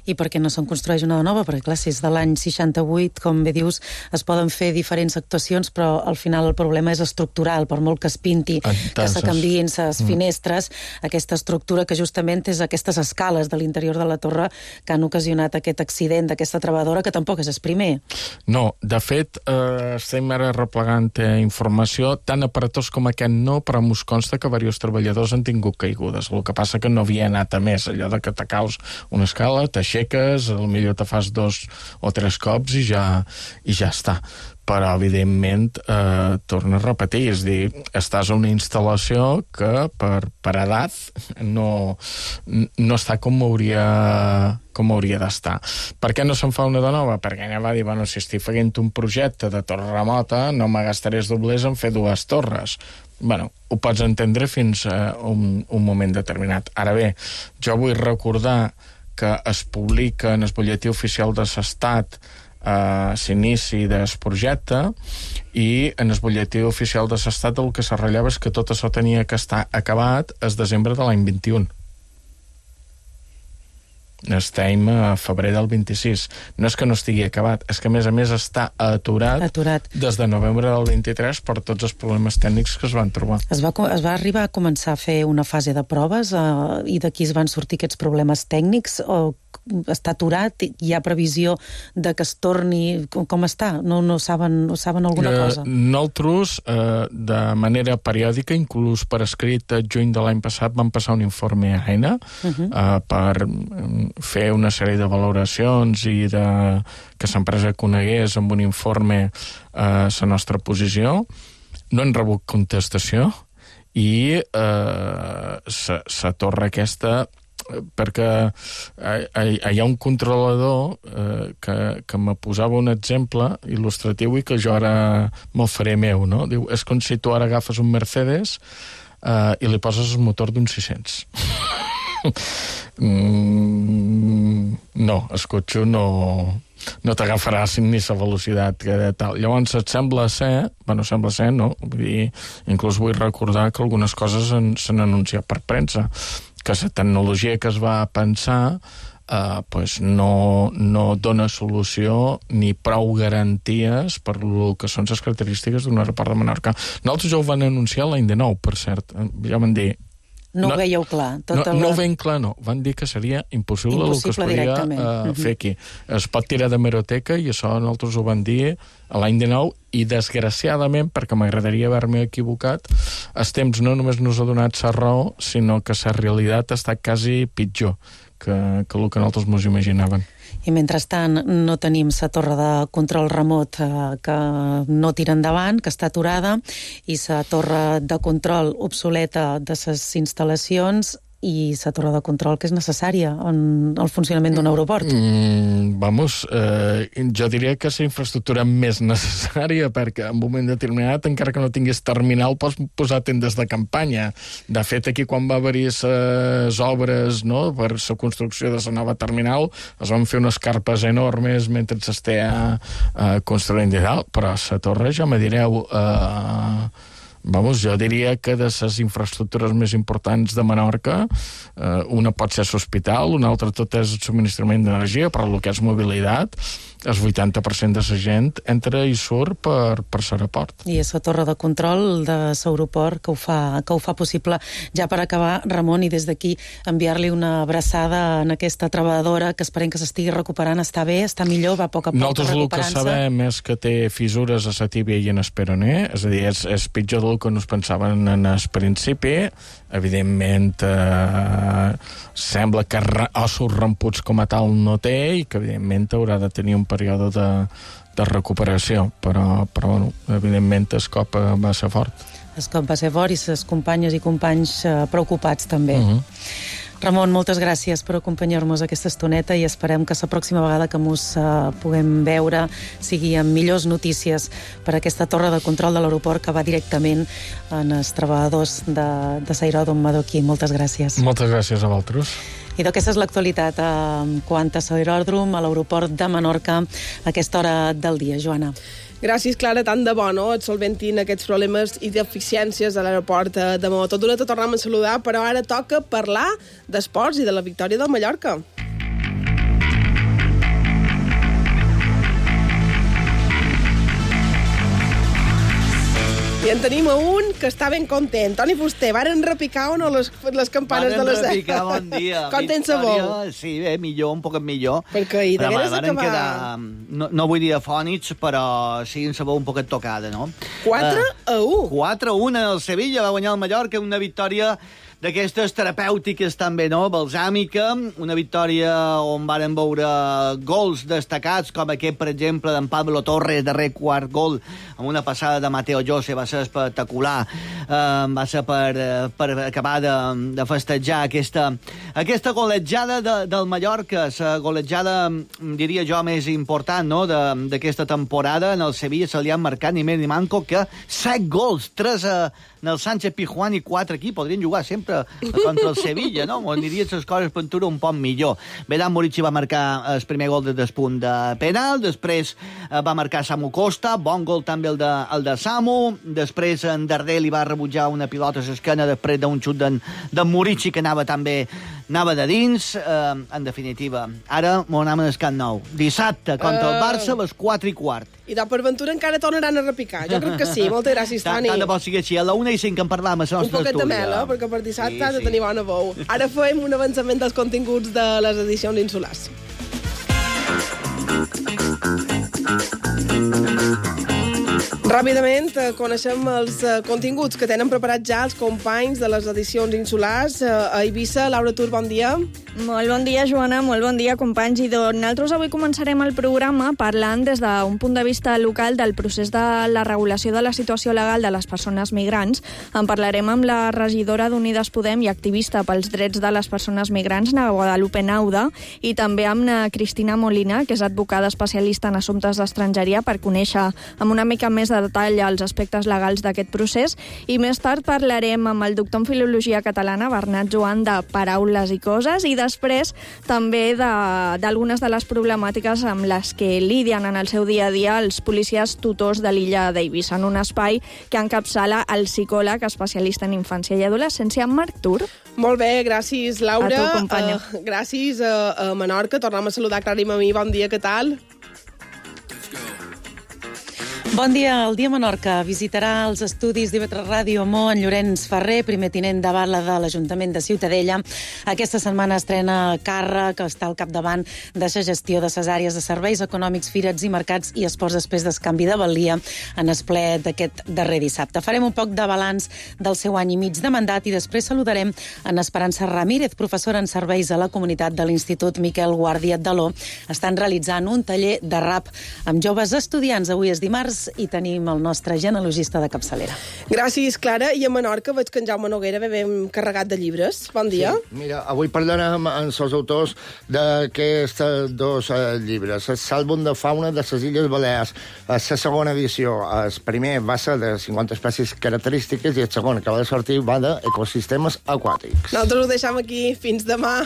I per què no se'n construeix una nova? Perquè, clar, si és de l'any seixanta-vuit, com bé dius, es poden fer diferents actuacions, però al final el problema és estructural, per molt que es pinti, Entenses. que se canviïn les mm. finestres, aquesta estructura que justament és aquestes escales de l'interior de la torre que han ocasionat aquest accident d'aquesta treballadora, que tampoc és el primer. No, de fet, eh, estem ara replegant informació, tan aparatós com aquest no, però mos consta que diversos treballadors han tingut caigudes. El que passa que no havia anat a més, allò de que te caus una escala, t'aixeques, potser te fas dos o tres cops i ja, i ja està. però evidentment eh, torna a repetir, és a dir, estàs a una instal·lació que per, per edat no, no està com hauria, com hauria d'estar. Per què no se'n fa una de nova? Perquè ella va dir, bueno, si estic fent un projecte de torre remota, no me gastaré els doblers en fer dues torres. Bueno, ho pots entendre fins a un, un moment determinat. Ara bé, jo vull recordar que es publica en el butlletí oficial de l'Estat eh, l'inici del projecte, i en el butlletí oficial de l'Estat el que se relleva és que tot això tenia que estar acabat el desembre de l'any vint-i-un. Estem a febrer del vint-i-sis. No és que no estigui acabat, és que a més a més està aturat, aturat. des de novembre del vint-i-tres per tots els problemes tècnics que es van trobar. Es va, es va arribar a començar a fer una fase de proves eh, i d'aquí es van sortir aquests problemes tècnics, o està aturat, hi ha previsió de que es torni, com, com està? No, no saben, no saben alguna eh, cosa? Nosaltres, eh, de manera periòdica, inclús per escrit, a juny de l'any passat vam passar un informe a AENA uh -huh. eh, per fer una sèrie de valoracions i de, que l'empresa conegués amb un informe eh, la nostra posició. No hem rebut contestació i eh, la torre aquesta, perquè hi ha un controlador eh, que, que me posava un exemple il·lustratiu i que jo ara me'l faré meu, no? Diu, és com si tu ara agafes un Mercedes eh, i li poses el motor d'un sis-cents. mm, no, el cotxe no, no t'agafarà ni la velocitat que tal. Llavors et sembla ser, bueno, sembla ser, no? Vull dir, inclús vull recordar que algunes coses s'han anunciat per premsa, que la tecnologia que es va pensar eh, pues no, no dona solució ni prou garanties per el que són les característiques d'un aeroport de Menorca. Nosaltres ja ho van anunciar l'any dinou, per cert. Ja van dir... No, no ho veieu clar. No, la... no ho veiem clar, no. Van dir que seria impossible, impossible el que es podia uh, fer aquí. Es pot tirar de meroteca, i això nosaltres ho van dir a l'any dinou, i desgraciadament, perquè m'agradaria haver-me equivocat, els temps no només nos ha donat la raó, sinó que la realitat ha estat quasi pitjor que, que el que nosaltres ens imaginàvem. I mentrestant no tenim la torre de control remot eh, que no tira endavant, que està aturada, i la torre de control obsoleta de les instal·lacions, i la torre de control que és necessària en el funcionament d'un aeroport. Mm, vamos, eh, jo diria que és la infraestructura més necessària, perquè en un moment determinat, encara que no tingués terminal, pots posar tendes de campanya. De fet, aquí quan va haver-hi les obres, no?, per la construcció de la nova terminal, es van fer unes carpes enormes mentre s'estava eh, construint i tal, però la torre, ja me direu... Eh, Vamos, jo diria que de les infraestructures més importants de Menorca, eh, una pot ser l'hospital, una altra tot és el subministrament d'energia, però el que és mobilitat, el vuitanta per cent de la gent entra i surt per, per l'aeroport. I és la torre de control de l'aeroport que ho fa, que ho fa possible. Ja per acabar, Ramon, i des d'aquí enviar-li una abraçada en aquesta treballadora, que esperem que s'estigui recuperant. Està bé, està millor, va a poc a poc Nosaltres recuperant-se. Nosaltres el que sabem és que té fissures a la tíbia i en el peroné, és a dir, és, és pitjor del que no es pensaven en el principi. Evidentment, eh, sembla que ossos romputs com a tal no té, i que evidentment haurà de tenir un període de, de recuperació, però, però bueno, evidentment el cop va ser fort. El cop va ser fort, i les companyes i companys eh, preocupats també. Uh-huh. Ramon, moltes gràcies per acompanyar-nos aquesta estoneta, i esperem que la pròxima vegada que ens uh, puguem veure sigui amb millors notícies per aquesta torre de control de l'aeroport que va directament en els treballadors de, de l'aeròdrom menorquí. Moltes gràcies. Moltes gràcies a vosaltres. I d'aquesta és l'actualitat eh, quant a l'aeròdrom, a l'aeroport de Menorca, a aquesta hora del dia. Joana. Gràcies, Clara, tant de bo, no?, et solventin aquests problemes i deficiències a l'aeroport de Maó. Tot d'una te tornem a saludar, però ara toca parlar d'esports i de la victòria del Mallorca. I en tenim a un que està ben content. Toni Fuster, varen repicar o no les, les campanes varen de les... Varen repicar, bon dia. Content se vol. Sí, bé, millor, un poc millor. Perquè hi degueres acabar... Quedar... No, no vull dir afònics, però sí, en sabó un poquet tocada, no? quatre a u. quatre a u, el Sevilla va guanyar el Mallorca, una victòria d'aquestes terapèutiques també, no? Balsàmica, una victòria on varen veure gols destacats, com aquest, per exemple, d'en Pablo Torres, darrer quart gol, amb una passada de Mateo Jose, va ser espectacular, eh, va ser per, per acabar de, de festejar aquesta, aquesta golejada de, del Mallorca, la golejada, diria jo, més important, no?, d'aquesta temporada. En el Sevilla se li han marcat ni més ni manco que set gols, tres a en el Sánchez Pizjuán i quatre aquí. Podrien jugar sempre contra el Sevilla, no? O anirien les coses per un poc millor. Vedan Murici va marcar el primer gol de despunt de penal, després va marcar Samu Costa, bon gol també el de, el de Samu, després en Darder li va rebutjar una pilota a l'esquena després d'un xut d'en Murici que anava també anava de dins, eh, en definitiva. Ara m'ho anem al Camp Nou. Dissabte, contra el Barça, a les quatre i quart. I de per ventura encara tornaran a repicar. Jo crec que sí. Moltes gràcies, Toni. Tant de bo sigui així. A la una i cinc en parlam a la nostra Un poquet de mel, eh? Perquè per dissabte has de tenir bona bou. Ara fem un avançament dels continguts de les edicions insulars. Ràpidament coneixem els continguts que tenen preparats ja els companys de les edicions insulars. A Eivissa, Laura Tur, bon dia. Molt bon dia, Joana, molt bon dia, companys. I doncs nosaltres avui començarem el programa parlant des d'un punt de vista local del procés de la regulació de la situació legal de les persones migrants. En parlarem amb la regidora d'Unides Podem i activista pels drets de les persones migrants, na Guadalupe Nauda, i també amb na Cristina Molina, que és advocada especialista en assumptes d'estrangeria, per conèixer amb una mica més de detall els aspectes legals d'aquest procés. I més tard parlarem amb el doctor en Filologia Catalana, Bernat Joan, de Paraules i Coses, i després també d'algunes de, de les problemàtiques amb les que lidien en el seu dia a dia els policies tutors de l'illa d'Eivissa, en un espai que encapçala el psicòleg especialista en infància i adolescència, Marc Tur. Molt bé, gràcies, Laura. A tu, companya. Uh, gràcies a, a Menorca. Tornem a saludar Clara i Mamí. Bon dia, què tal? Bon dia. El dia Menorca visitarà els estudis d'I V tres Ràdio Mo en Llorenç Ferrer, primer tinent de bala de l'Ajuntament de Ciutadella. Aquesta setmana estrena càrrec, que està al capdavant de la gestió de les àrees de serveis econòmics, firets i mercats i esports després d'escanvi de valia en el ple d'aquest darrer dissabte. Farem un poc de balanç del seu any i mig de mandat i després saludarem en Esperança Ramírez, professora en serveis a la comunitat de l'Institut Miquel Guàrdia d'Aló. Estan realitzant un taller de rap amb joves estudiants. Avui és dimarts i tenim el nostre genealogista de capçalera. Gràcies, Clara. I a Menorca veig que en Jaume Noguera ve ben carregat de llibres. Bon dia. Sí, mira, avui parlarem amb els autors d'aquests dos eh, llibres. El Sàlbum de fauna de les Illes Balears. La segona edició. El primer va ser de cinquanta espècies característiques i el segon, que va de sortir, va d'ecosistemes aquàtics. Nosaltres ho deixem aquí. Fins demà.